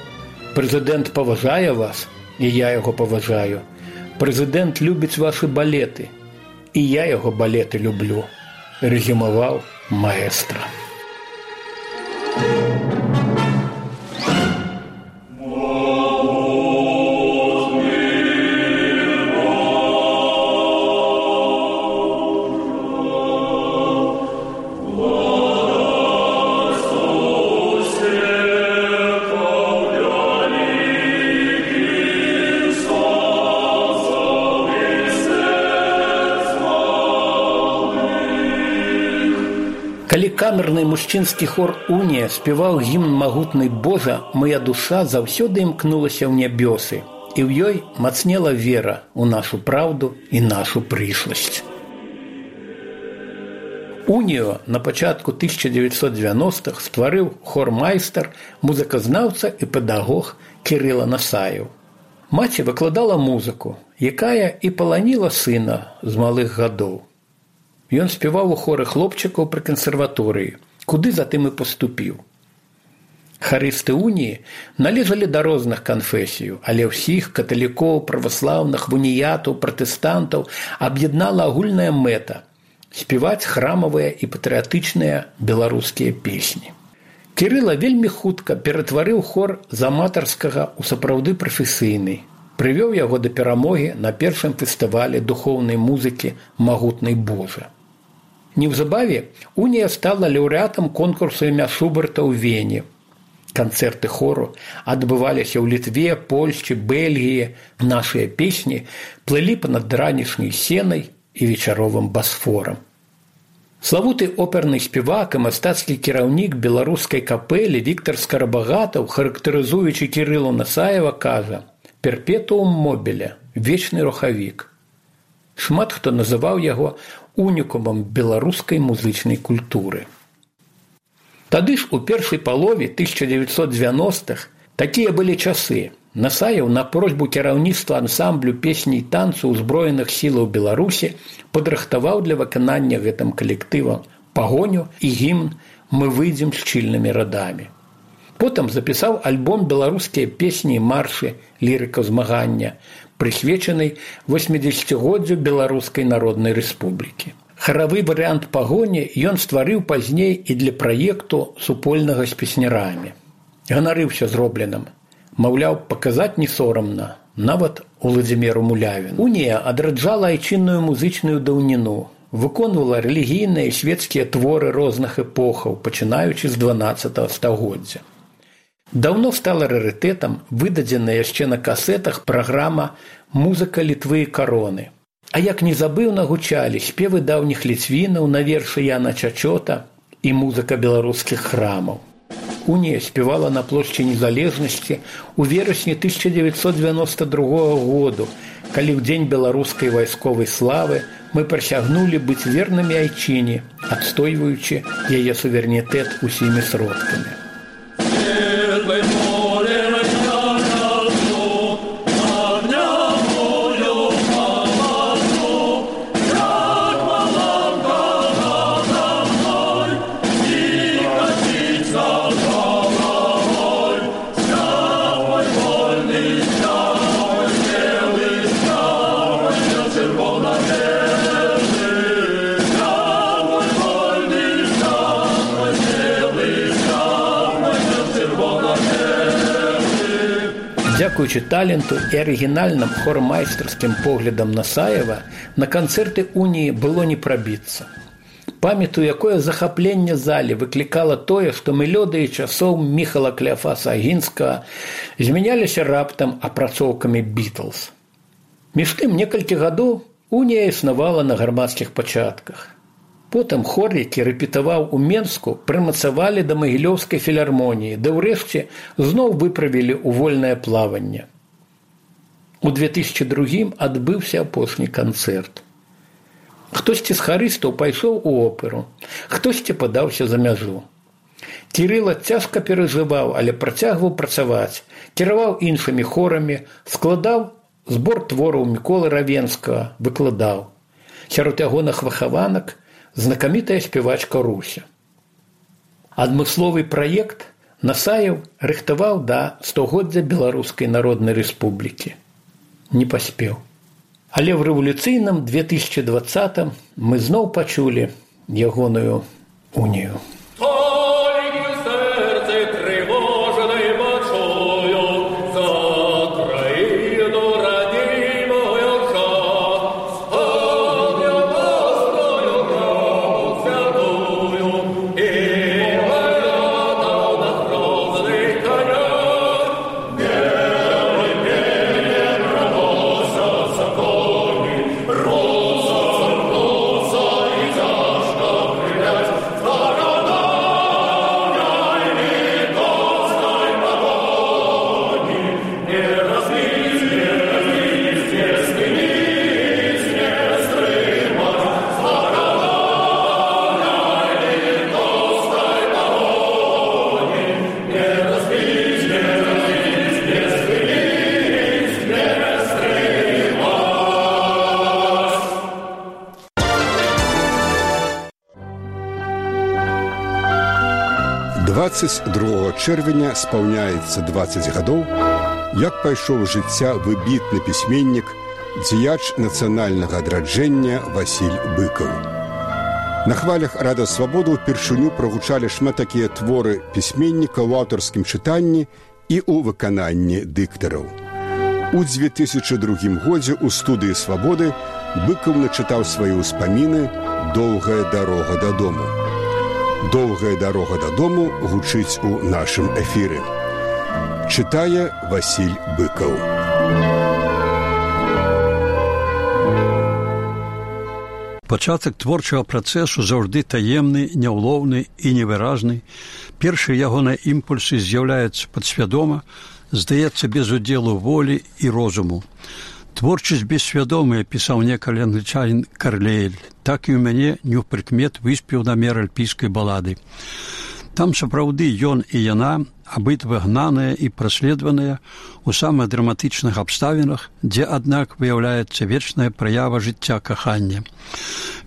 Прэзідэнт паважае вас, і я яго паважаю. Прэзідэнт любіць вашы балеты, і я яго балеты люблю, рэзюмаваў маэстра. Калі камерны мужчынскі хор «Унія» спяваў гімн магутны Божа, моя душа заўсёды імкнулася ў нябёсы, і ў ёй мацнела вера ў нашу праўду і нашу прышласць. «Унію» на пачатку тысяча дзевяцьсот дзевяностых стварыў хормайстар, музыказнаўца і педагог Кірыла Насаеў. Маці выкладала музыку, якая і паланіла сына з малых гадоў. Ён спяваў у хоры хлопчыкаў пры кансерваторыі, куды затым і паступіў. Харысты «Уніі» належалі да розных канфесіяў, але ўсіх каталікоў, праваслаўных, уніятаў, пратэстантаў аб'яднала агульная мэта – спяваць храмавыя і патрыятычныя беларускія песні. Кірыла вельмі хутка ператварыў хор з аматарскага ў сапраўды прафесійны, прывёў яго да перамогі на першым фестывалі духоўнай музыкі «Магутны Божа». Неўзабаве «Унія» стала лаўрэатам конкурсу імя Шуберта ў Вене. Канцэрты хору адбываліся ў Літве, Польшчы, Бельгіі. Нашыя песні плылі па-над ранішняй сенай і вечаровым Басфорам. Славуты оперны спевак і мастацкі кіраўнік беларускай капэлі Віктар Скарабагатаў, характарызуючы Кірылу Насаева, кажа: «Перпетуум мобіле, вечны рухавік». Шмат хто называў яго унікумам беларускай музычнай культуры. Тады ж у першай палове тысяча дзевяцьсот дзевяностых такія былі часы. Насаеў на просьбу кіраўніцтва ансамблю песні і танцу ўзброеных сілаў Беларусі падрыхтаваў для выканання гэтым калектывам пагоню і гімн «Мы выйдзем шчыльнымі радамі». Потым запісаў альбом «Беларускія песні і маршы. Лірыка змагання», прысвечанай восьмідзесяцігоддзю Беларускай Народнай Рэспублікі. Харавы варыянт пагоні ён стварыў пазней і для праекту супольнага з песнярамі. Ганарыўся зробленым. Маўляў, паказаць не сорамна, нават Уладзіміру Мулявіну. «Унія» адраджала айчынную музычную даўніну, выконвала рэлігійныя і свецкія творы розных эпохаў, пачынаючы з дванаццатага стагоддзя. Даўно стала рарытэтам выдадзеная яшчэ на касетах праграма «Музыка Літвы і кароны». А як незабыўна гучалі спевы даўніх ліцвінаў на вершы Яна Чачота і музыка беларускіх храмаў. «Унія» спевала на плошчы Незалежнасці ў верасні тысяча дзевяцьсот девяносто другога году, калі ў дзень беларускай вайсковай славы мы прысягнулі быць вернымі айчыне, адстойваючы яе суверэнітэт усімі сродкамі. Дзякуючы таленту і арыгінальным хормайстарскім поглядам Насаева на канцэрты «Уніі» было не прабіцца. Памятаю, якое захапленне залі выклікала тое, што мелодыі часоў Міхала Кляафаса Агінскага змяняліся раптам апрацоўкамі «Бітлз». Між тым, некалькі гадоў «Унія» існавала на грамадскіх пачатках. Потым хор, які рэпетаваў у Менску, прымацавалі да Магілёўскай філармоніі, да ўрэшце зноў выправілі ў вольнае плаванне. У две тысячи другім адбыўся апошні канцэрт. Хтосьці з харыстаў пайшоў у оперу, хтосьці падаўся за мяжу. Кірыла цяжка перажываў, але працягваў працаваць, кіраваў іншымі хорамі, складаў збор твораў Міколы Равенскага, выкладаў. Сярод ягоных выхаванак знакамітая спявачка Руся. Адмысловы праект Насаеў рыхтаваў да стагоддзя Беларускай Народнай Рэспублікі. Не паспеў. Але ў рэвалюцыйным две тысячы двадцатым мы зноў пачулі ягоную унію. дваццаць другога чэрвеня спаўняецца дваццаць гадоў, як пайшоў жыцця выбітны пісьменнік, дзеяч нацыянальнага адраджэння Васіль Быкаў. На хвалях Рада Свабоды ўпершыню прагучалі шмат такія творы пісьменніка ў аўтарскім чытанні і ў выкананні дыктараў. У дзве тысячы другім годзе ў студыі Свабоды Быкаў начытаў свае ўспаміны «Доўгая дарога дадому». «Доўгая дарога дадому» гучыць у нашым эфіры. Чытае Васіль Быкаў. Пачатак творчага працэсу заўжды таемны, няўлоўны і невыразны. Першыя ягоныя імпульсы з'яўляюцца падсвядома, здаецца без удзелу волі і розуму. Творчасць бессвядомая, пісаў некалі англічанін Карлейль, так і ў мяне неўпрыкмет выспеў намер альпійскай балады. Там сапраўды ён і яна, абытва гнаныя і праследваныя ў самых драматычных абставінах, дзе, аднак, выяўляецца вечная праява жыцця кахання.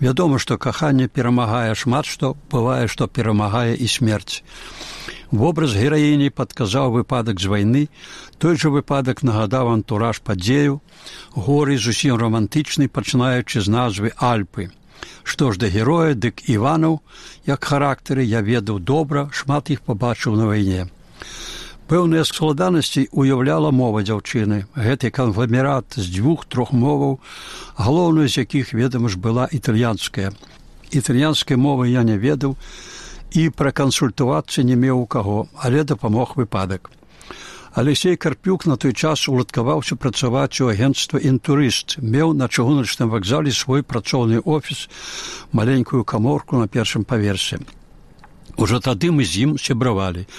Вядома, што каханне перамагае шмат што, бывае, што перамагае і смерць. Вобраз гераіні падказаў выпадак з вайны, той жа выпадак нагадаў антураж падзею, горы зусім романтычны, пачынаючы з назвы Альпы. Што ж да героя, дык Іванаў, як характары, я ведаў добра, шмат іх пабачыў на вайне. Пэўныя складанасці уяўляла мова дзяўчыны. Гэты кангломерат з дзвюх-трох моваў, галоўная з якіх, ведама ж, была італьянская. Італьянскай мовы я не ведаў, і пракансультавацца не меў у каго, але дапамог выпадак. Алексей Карпюк на той час уладкаваўся працаваць у агенцтва «Інтурыст», меў на чыгуначным вакзале свой працоўны офіс, маленькую каморку на першым паверсе. Ужо тады мы з ім сябравалі.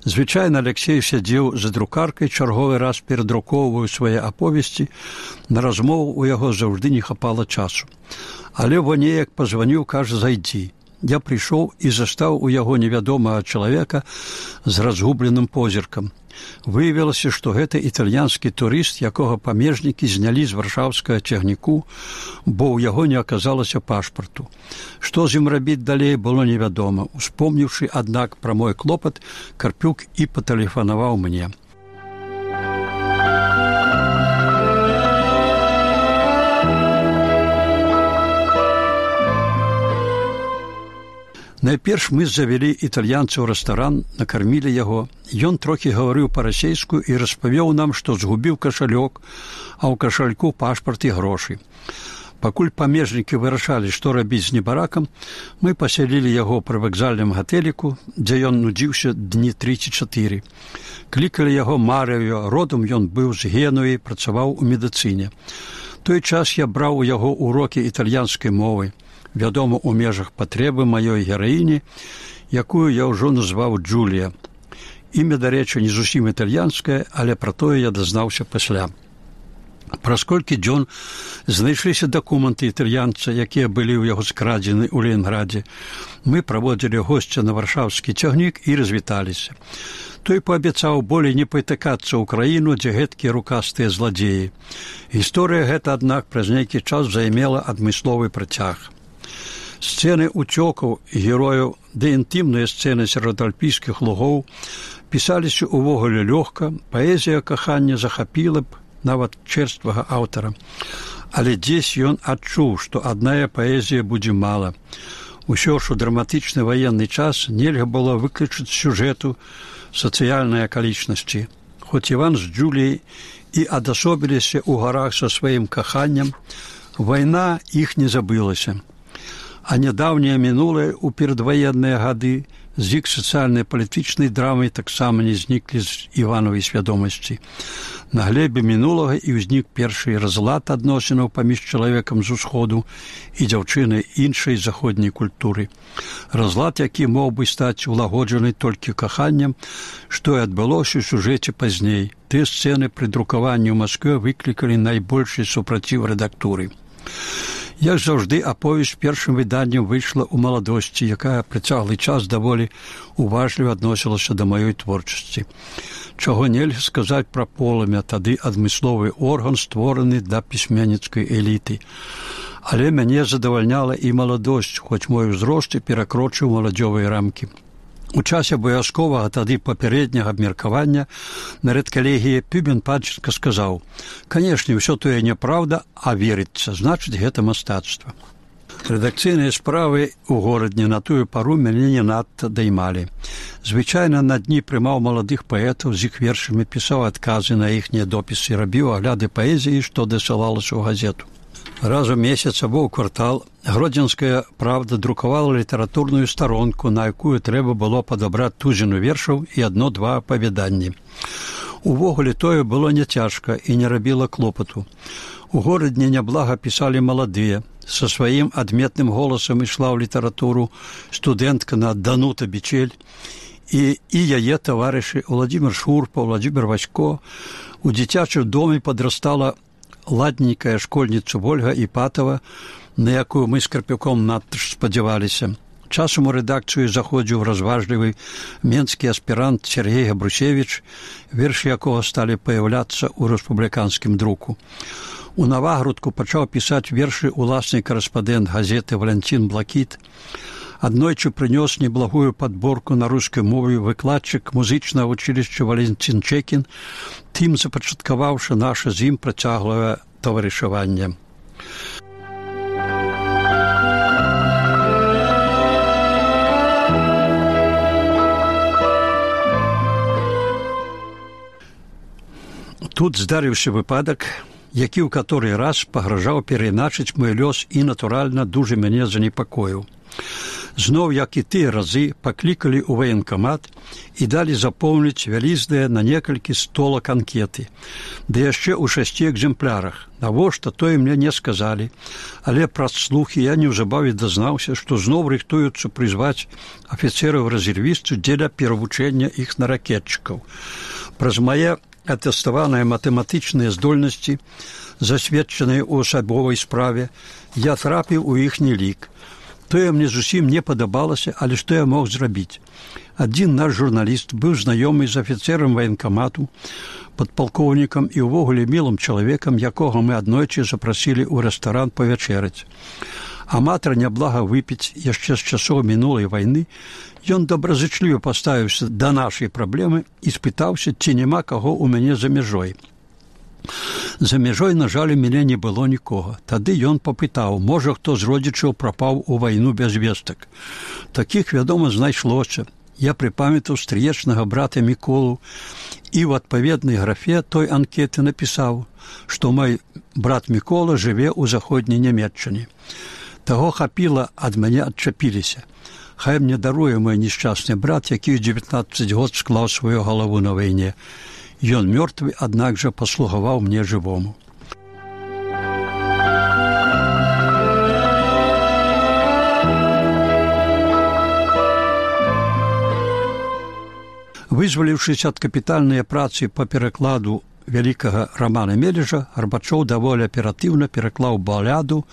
Звычайна Алексей сядзеў за друкаркай, чарговы раз перадрукоўваў свае аповесці, на размову у яго заўжды не хапала часу. Але во неяк пазваніў, кажа, зайдзі. Я прыйшоў і застаў у яго невядомага чалавека з разгубленым позіркам. Выявілася, што гэта італьянскі турыст, якога памежнікі знялі з варшаўскага цягніку, бо ў яго не аказалася пашпарту. Што з ім рабіць далей, было невядома. Успомніўшы, аднак, пра мой клопат, Карпюк і патэлефанаваў мне. Найперш мы завялі італьянца ў рэстаран, накармілі яго. Ён трохі гаварыў па-расейску і распавёў нам, што згубіў кашалёк, а ў кашальку пашпарт і грошы. Пакуль памежнікі вырашалі, што рабіць з небаракам, мы пасялілі яго пры вакзальным гатэліку, дзе ён нудзіўся дні тры ці чатыры. Клікалі яго Марыё, родам ён быў з Генуі, працаваў у медыцыне. Той час я браў у яго урокі італьянскай мовы. Вядома, у межах патрэбы маёй гераіні, якую я ўжо назваў Джулія. Імя, дарэчы, не зусім італьянскае, але пра тое я дазнаўся пасля. Праз колькі дзён знайшліся дакументы італьянца, якія былі ў яго скрадзены ў Ленінградзе. Мы праводзілі госця на варшаўскі цягнік і развіталіся. Той паабяцаў болей не патыкацца ў краіну, дзе гэткія рукастыя зладзеі. Гісторыя гэта, аднак, праз нейкі час займела адмысловы працяг. Сцэны ўцёкаў герояў ды інтымныя сцэны сярод альпійскіх лугоў пісаліся ўвогуле лёгка, паэзія кахання захапіла б нават чэрствага аўтара. Але дзесь ён адчуў, што адная паэзія будзе мала. Усё ж у драматычны ваенны час нельга было выключыць сюжэту сацыяльнай акалічнасці. Хоць Іван з Джуліяй і адасобіліся ў гарах са сваім каханнем, вайна іх не забылася. А нядаўняе мінулае ў перадваенныя гады з іх сацыяльна-палітычнай драмай таксама не зніклі з Івановай свядомасці. На глебе мінулага і ўзнік першы разлад адносінаў паміж чалавекам з усходу і дзяўчынай іншай заходняй культуры. Разлад, які мог бы стаць улагоджаны толькі каханнем, што і адбылося ў сюжэце пазней. Тыя сцэны пры друкаванні ў Маскве выклікалі найбольшы супраціў рэдактуры. Як заўжды, аповесць першым выданнем выйшла ў маладосці, якая працяглы час даволі уважліва адносілася да маёй творчасці. Чаго нельга сказаць пра полымя, тады адмысловы орган створаны для пісьменніцкай эліты. Але мяне задавальняла і маладосць, хоць мой узрост і перакрочыў маладзёвыя рамкі. У часе абавязковага тады папярэдняга абмеркавання на рэдкалегіі Пюбен Падченка сказаў: «Канешне, ўсё тое няправда, а верыцца, значыць, гэта мастацтва». Рэдакцыйныя справы ў горадні на тую пару мяне не надта даймалі. Звычайна на дні прымаў маладых паэтаў, з іх вершамі пісаў адказы на іхнія допісы, рабіў агляды паэзіі, што дасылалася ў газету. Раз у месяц або ў квартал Гродзенская правда друкавала літаратурную старонку, на якую трэба было падабраць тузіну вершаў і адно-два апавяданні. Увогуле тое было няцяжка і не рабіла клопату. У горадні няблага пісалі маладыя. Са сваім адметным голасам ішла ў літаратуру студэнтка на Данута Бичель і, і яе таварышы Владзімір Шурпа, Владзімір Васько. У дзіцячым доме падрастала ладненькая школьніца Вольга Іпатова, на якую мы з Карпюком надта ж спадзяваліся. Часам у рэдакцыю заходзіў разважлівы менскі аспірант Сергей Габрусевіч, вершы якога сталі паяўляцца ў рэспубліканскім друку. У Навагрудку пачаў пісаць вершы уласны карэспандэнт газеты Валянцін Блакіт. Аднойчы прынёс неблагую падборку на рускай мове выкладчык музычнага вучылішча Валянцін Чекін, тым запачаткаваўшы наша з ім працяглае таварышаванне. Тут здарыўся выпадак, які ў каторы раз пагражаў перайначыць мой лёс і, натуральна, дужа мяне занепакоіў. Зноў, як і тыя разы, паклікалі ў ваенкамат і далі запоўніць вялізныя на некалькі столак анкеты. Ды яшчэ ў шасці экземплярах. Навошта, тое мне не сказалі, але праз слухі я неўзабаве дазнаўся, што зноў рыхтуюцца прызваць афіцэраў-рэзервістаў дзеля перавучэння іх на ракетчыкаў. Праз мае атэставаныя матэматычныя здольнасці, засведчаныя ў асабовай справе, я трапіў у іхні лік. Тое мне зусім не падабалася, але што я мог зрабіць? Адзін наш журналіст быў знаёмы з афіцэрам ваенкамату, падпалкоўнікам і ўвогуле мілым чалавекам, якога мы аднойчы запрасілі ў рэстаран павячэраць. Аматар няблага выпіць яшчэ з часоў мінулай вайны, ён добразычліва паставіўся да нашай праблемы і спытаўся, ці няма каго ў мяне за мяжой. За мяжой, на жаль, у мяне не было нікога. Тады ён папытаў, можа, хто з родзічаў прапаў у вайну без вестак. Такіх, вядома, знайшлося. Я прыпамятаў стрыечнага брата Міколу і ў адпаведнай графе той анкеты напісаў, што мой брат Мікола жыве ў заходняй Нямецчыне. Таго хапіла, ад мяне адчапіліся. Хай мне даруе мой несчастны брат, які ў дзевятнаццаць год склаў сваю галаву на вайне. Ён мёртвы, аднак жа паслугаваў мне жывому. Вызваліўшыся ад капітальнай працы па перакладу вялікага Рамана Мележа Гарбачоў даволі аператыўна пераклаў баляду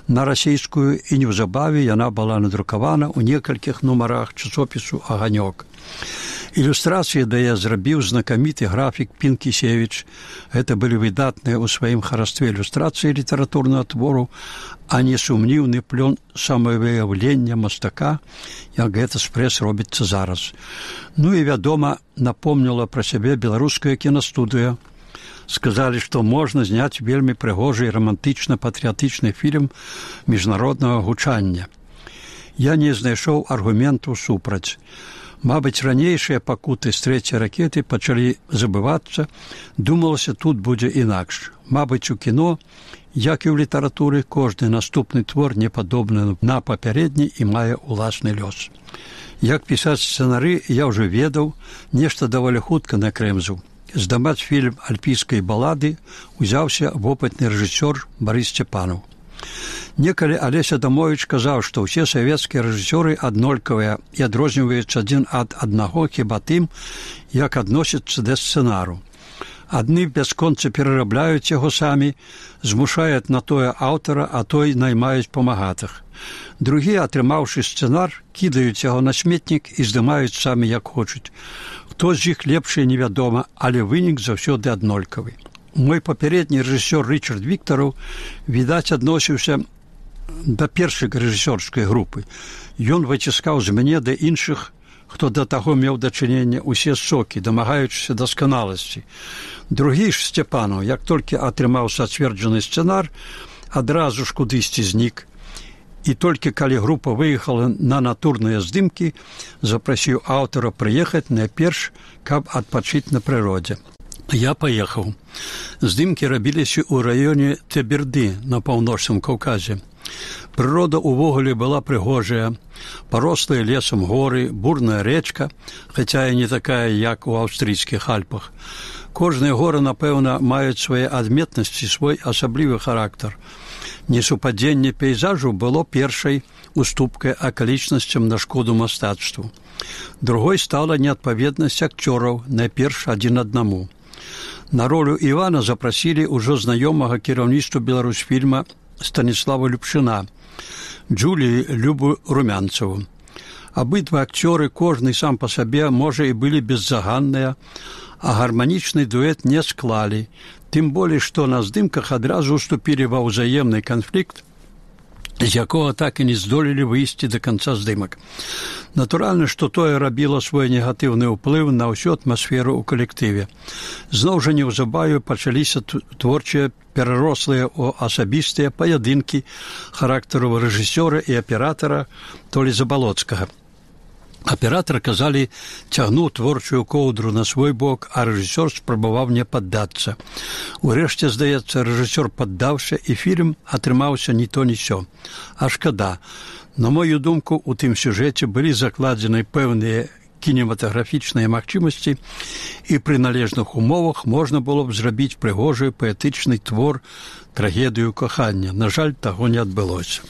на расійскую, і неўзабаве яна была надрукавана ў некалькіх нумарах часопісу «Аганёк». Ілюстрацыі да яе зрабіў знакаміты графік Пінкісевіч. Гэта былі выдатныя ў сваім харастве ілюстрацыі літаратурнага твору, а не сумнівны плён самавыяўлення мастака, як гэта спрэс робіцца зараз. Ну і, вядома, напомніла пра сябе беларуская кінастудыя. Сказалі, што можна зняць вельмі прыгожы і рамантычна-патрыятычны фільм міжнароднага гучання. Я не знайшоў аргументу супраць. Мабыць, ранейшыя пакуты з трэцяй ракеты пачалі забывацца, думалася, тут будзе інакш. Мабыць, у кіно, як і ў літаратуры, кожны наступны твор не падобны на папярэдні і мае ўласны лёс. Як пісаць сцэнары, я ўжо ведаў, нешта даволі хутка накрэмзаў. Здымаць фільм альпійскай балады узяўся вопытны рэжысёр Барыс Сцепанаў. Некалі Алеся Дамовіч казаў, што ўсе савецкія рэжысёры аднолькавыя і адрозніваюцца адзін ад аднаго хіба тым, як адносяцца да сцэнару. Адны бясконца перарабляюць яго самі, змушаюць на тое аўтара, а той наймаюць памагатых. Другія, атрымаўшы сцэнар, кідаюць яго на сметнік і здымаюць самі як хочуць. Хто з іх лепшы, невядома, але вынік заўсёды аднолькавы. Мой папярэдні рэжысёр Рычард Віктараў, відаць, адносіўся да першай рэжысёрскай групы. Ён выціскаў з мяне да іншых, хто да таго меў дачыненне, усе сокі, дамагаючыся дасканаласці. Другі ж Сцепанаў, як толькі атрымаў сацверджаны сцэнар, адразу ж кудысьці знік. І толькі калі група выехала на натурныя здымкі, запрасіў аўтара прыехаць найперш, каб адпачыць на прыродзе. Я паехаў. Здымкі рабіліся ў раёне Теберды на паўночным Каўказе. Прырода ўвогуле была прыгожая, парослая лесам горы, бурная рэчка, хаця і не такая, як у аўстрыйскіх Альпах. Кожныя горы, напэўна, маюць свае адметнасці, свой асаблівы характар. Несупадзенне пейзажу было першай уступкай акалічнасцям на шкоду мастацтву. Другой стала неадпаведнасць акцёраў, найперш адзін аднаму. На ролю Івана запрасілі ўжо знаёмага кіраўніцтва Беларусьфільма Станіслава Любшына, Джулію Любу Румянцеву. Абидва акцёры, кожны сам па сабе, можа, і былі беззаганныя, а гарманічны дуэт не склалі, тым болей, што на здымках адразу уступілі ва ўзаемны канфлікт, з якога так і не здолелі выйсці да канца здымак. Натуральна, што тое рабіла свой негатыўны ўплыў на ўсю атмасферу ў калектыве. Зноў жа неўзабаве пачаліся творчыя перарослыя ў асабістыя паядынкі характару рэжысёра і аператара Толі Забалоцкага. Аператар, казалі, цягнуў творчую коўдру на свой бок, а рэжысёр спрабаваў не паддацца. Урэшце, здаецца, рэжысёр паддаўся, і фільм атрымаўся ні то ні сё. А шкада. На мою думку, у тым сюжэце былі закладзены пэўныя кінематаграфічныя магчымасці, і пры належных умовах можна было б зрабіць прыгожы паэтычны твор, трагедыю кахання. На жаль, таго не адбылося.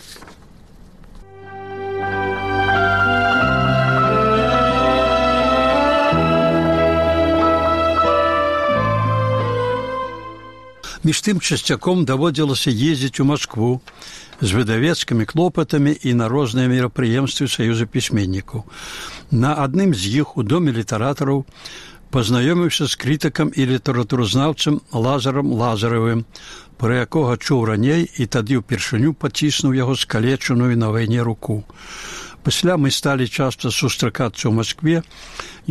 Між тым часцяком даводзілася ездзіць у Маскву з выдавецкімі клопатамі і на розныя мерапрыемствы Саюза пісьменнікаў. На адным з іх у доме літаратараў пазнаёміўся з крытыкам і літаратуразнаўцам Лазарам Лазаравым, пра якога чуў раней і тады ўпершыню паціснуў яго скалечаную на вайне руку. Пасля мы сталі часта сустракацца ў Маскве,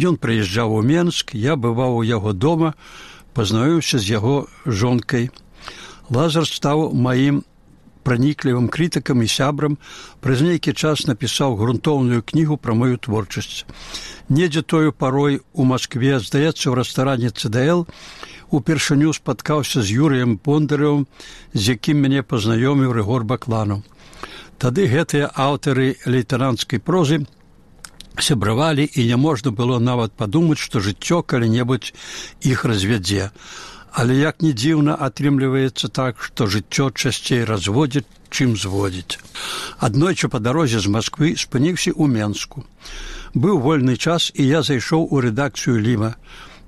ён прыязджаў у Менск, я бываў у яго дома, пазнаёміўся з яго жонкай. Лазар стаў маім праніклівым крытыкам і сябрам, праз нейкі час напісаў грунтоўную кнігу пра маю творчасць. Недзе тою парой у Маскве, здаецца, ў рэстаране цэ дэ эл, упершыню спаткаўся з Юрыем Бондаревым, з якім мяне пазнаёміў Рыгор Бакланаў. Тады гэтыя аўтары лейтэнанцкай прозы сябравалі, і няможна было нават падумаць, што жыццё калі-небудзь іх развядзе. Але як ні дзіўна, атрымліваецца так, што жыццё часцей разводзіць, чым зводзіць. Аднойчы па дарозе з Масквы спыніўся ў Менску. Быў вольны час, і я зайшоў у рэдакцыю Ліма.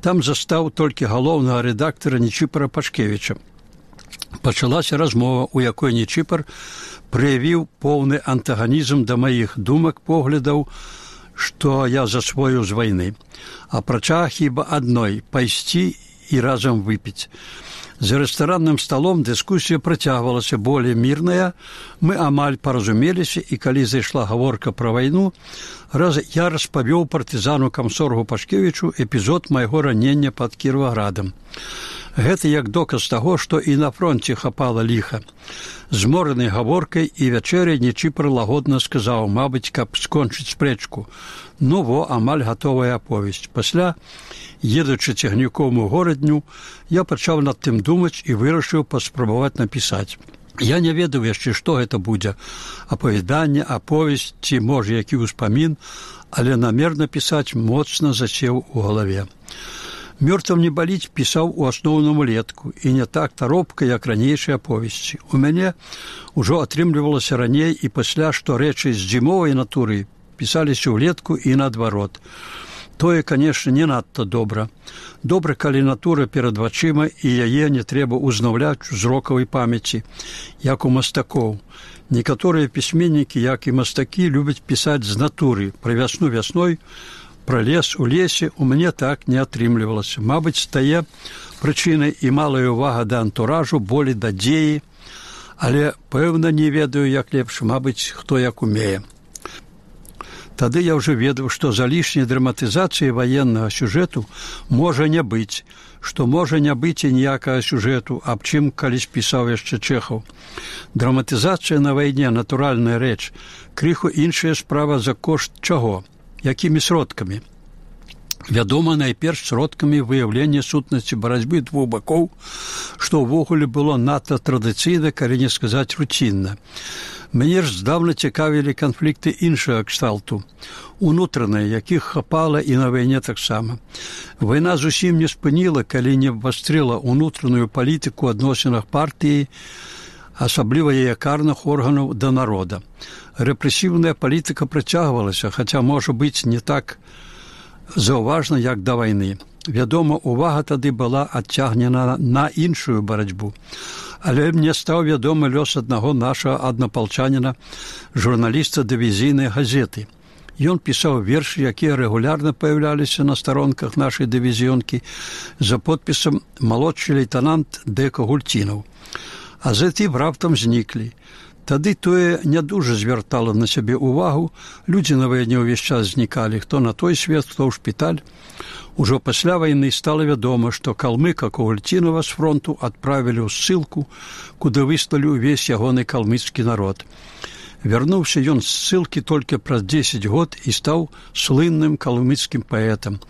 Там застаў толькі галоўнага рэдактара Нечіпара Пашкевіча. Пачалася размова, у якой Нечіпар праявіў поўны антаганізм да маіх думак, поглядаў, што я засвоіў з вайны. Апрача хіба адной – пайсці і разам выпіць. За рэстаранным сталом дыскусія працягвалася болей мірная, мы амаль паразумеліся, і калі зайшла гаворка пра вайну, раз я распавёў партызану камсоргу Пашкевічу эпізод майго ранення пад Кіроваградам. Гэта як доказ таго, што і на фронце хапала ліха. Змораны гаворкай і вячэрай Нечіпар лагодна сказаў, мабыць, каб скончыць спрэчку. Ну во, амаль гатовая аповесць. Пасля, едучы цягніком у горадню, я пачаў над тым думаць і вырашыў паспрабаваць напісаць. Я не ведаў яшчэ, што гэта будзе. Апавяданне, аповесць ці, можа, які ўспамін, але намер напісаць моцна засеў у галаве. «Мёртвым не баліць» пісаў у асноўным улетку, і не так таропка, як ранейшыя аповесці. У мяне ўжо атрымлівалася раней і пасля, што рэчы з зімовай натуры пісаліся ўлетку і наадварот. Тое, канешне, не надта добра. Добра, калі натура перад вачыма, і яе не трэба ўзнаўляць у зрокавай памяці, як у мастакоў. Некаторыя пісьменнікі, як і мастакі, любяць пісаць з натуры, пра вясну вясной, пра лес у лесе. У мяне так не атрымлівалася. Мабыць, стае прычынай і малая ўвага да антуражу, болей да дзеі, але, пэўна, не ведаю, як лепш, мабыць, хто як умее. Тады я ўжо ведаў, што за лішняй драматызацыі ваеннага сюжэту можа не быць, што можа не быць і ніякага сюжэту, аб чым калісь пісаў яшчэ Чэхаў. Драматызацыя на вайне – натуральная рэч. Крыху іншая справа за кошт чаго? Якімі сродкамі? Вядома, найперш сродкамі выяўлення сутнасці барацьбы двух бакоў, што ўвогуле было надта традыцыйна, калі не сказаць руцінна. Мяне ж здаўна цікавілі канфлікты іншага кшталту, унутраныя, якіх хапала і на вайне таксама. Вайна зусім не спыніла, калі не абвастрыла унутраную палітыку адносінах партыі, асабліва яе карных органаў да народа. Рэпрэсіўная палітыка працягвалася, хаця, можа быць, не так заўважна, як да вайны. Вядома, увага тады была адцягнена на іншую барацьбу. Але мне стаў вядомы лёс аднаго нашага аднапалчаніна, журналіста дывізійнай газеты. Ён пісаў вершы, якія рэгулярна паяўляліся на старонках нашай дывізіёнкі за подпісам «Малодшы лейтенант Дека Гульцінаў». А затым раптам зніклі. Тады тое не дужа звяртала на сябе ўвагу, людзі на вайне ўвесь час знікалі, хто на той свет, хто ў шпіталь. Ужо пасля вайны стала вядома, што калмыка Гульцінава з фронту адправілі ў ссылку, куды выслалі ўвесь ягоны калмыцкі народ. Вярнуўся ён з ссылкі толькі праз дзесяць год і стаў слынным калмыцкім паэтам.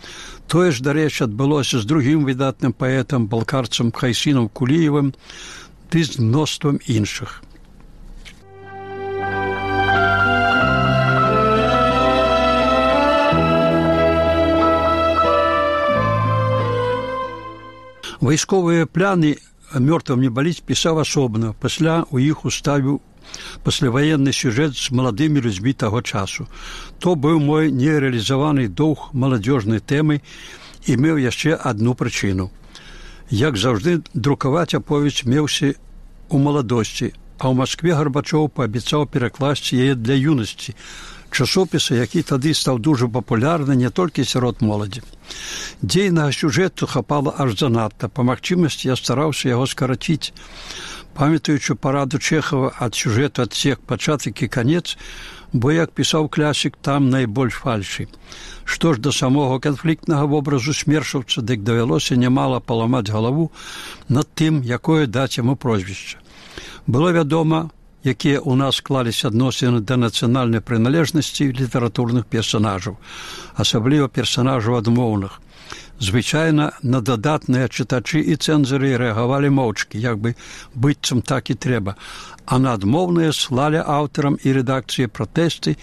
Тое ж, дарэчы, адбылося з другім выдатным паэтам, балкарцам Хайсінам Куліевым, ды з мноствам іншых. Вайсковыя пляны «Мёртвым не баліць» пісаў асобна, пасля у іх уставіў пасляваенны сюжэт з маладымі людзьмі таго часу. То быў мой нерэалізаваны доўг маладзёжнай тэмы і меў яшчэ адну прычыну. Як заўжды, друкаваць аповесць меўся у маладосці, а ў Маскве Гарбачоў паабяцаў перакласці яе для юнасці, часопіса, які тады стаў дужа папулярны не толькі сярод моладзі. Дзейнага сюжэту хапала аж занадта. Па магчымасці я стараўся яго скараціць. Памятаючы параду Чэхава ад сюжэту адсек пачатак і канец, бо, як пісаў класік, там найбольш фальшы. Што ж да самога канфліктнага вобразу смершаўца, дык давялося нямала паламаць галаву над тым, якое даць яму прозвішча. Было вядома, якія ў нас склаліся адносіны да нацыянальнай прыналежнасці літаратурных персанажаў, асабліва персанажаў адмоўных. Звычайна на дадатныя чытачы і цэнзары рэагавалі моўчкі, як бы быццам так і трэба, а на адмоўныя слалі аўтарам і рэдакцыі пратэсты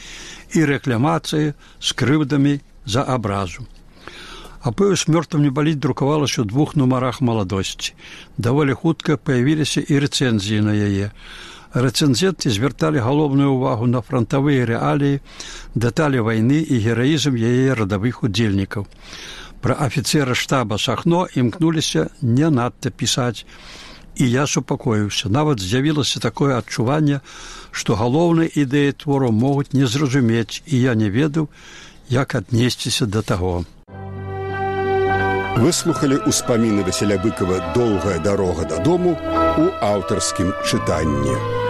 і рэкламацыі з крыўдамі за абразу. Аповесць «Мёртвым не баліць» друкавалася ў двух нумарах маладосці. Даволі хутка паявіліся і рэцэнзіі на яе. Рэцэнзенты звярталі галоўную ўвагу на фронтавыя рэаліі, дэталі вайны і гераізм яе радавых удзельнікаў. Пра афіцэра штаба Сахно імкнуліся не надта пісаць, і я супакоіўся. Нават з'явілася такое адчуванне, што галоўныя ідэі твору могуць не зразумець, і я не ведаў, як аднесціся да таго. Выслухалі ўспаміны Васіля Быкова «Доўгая дарога дадому» у аўтарскім чытанні.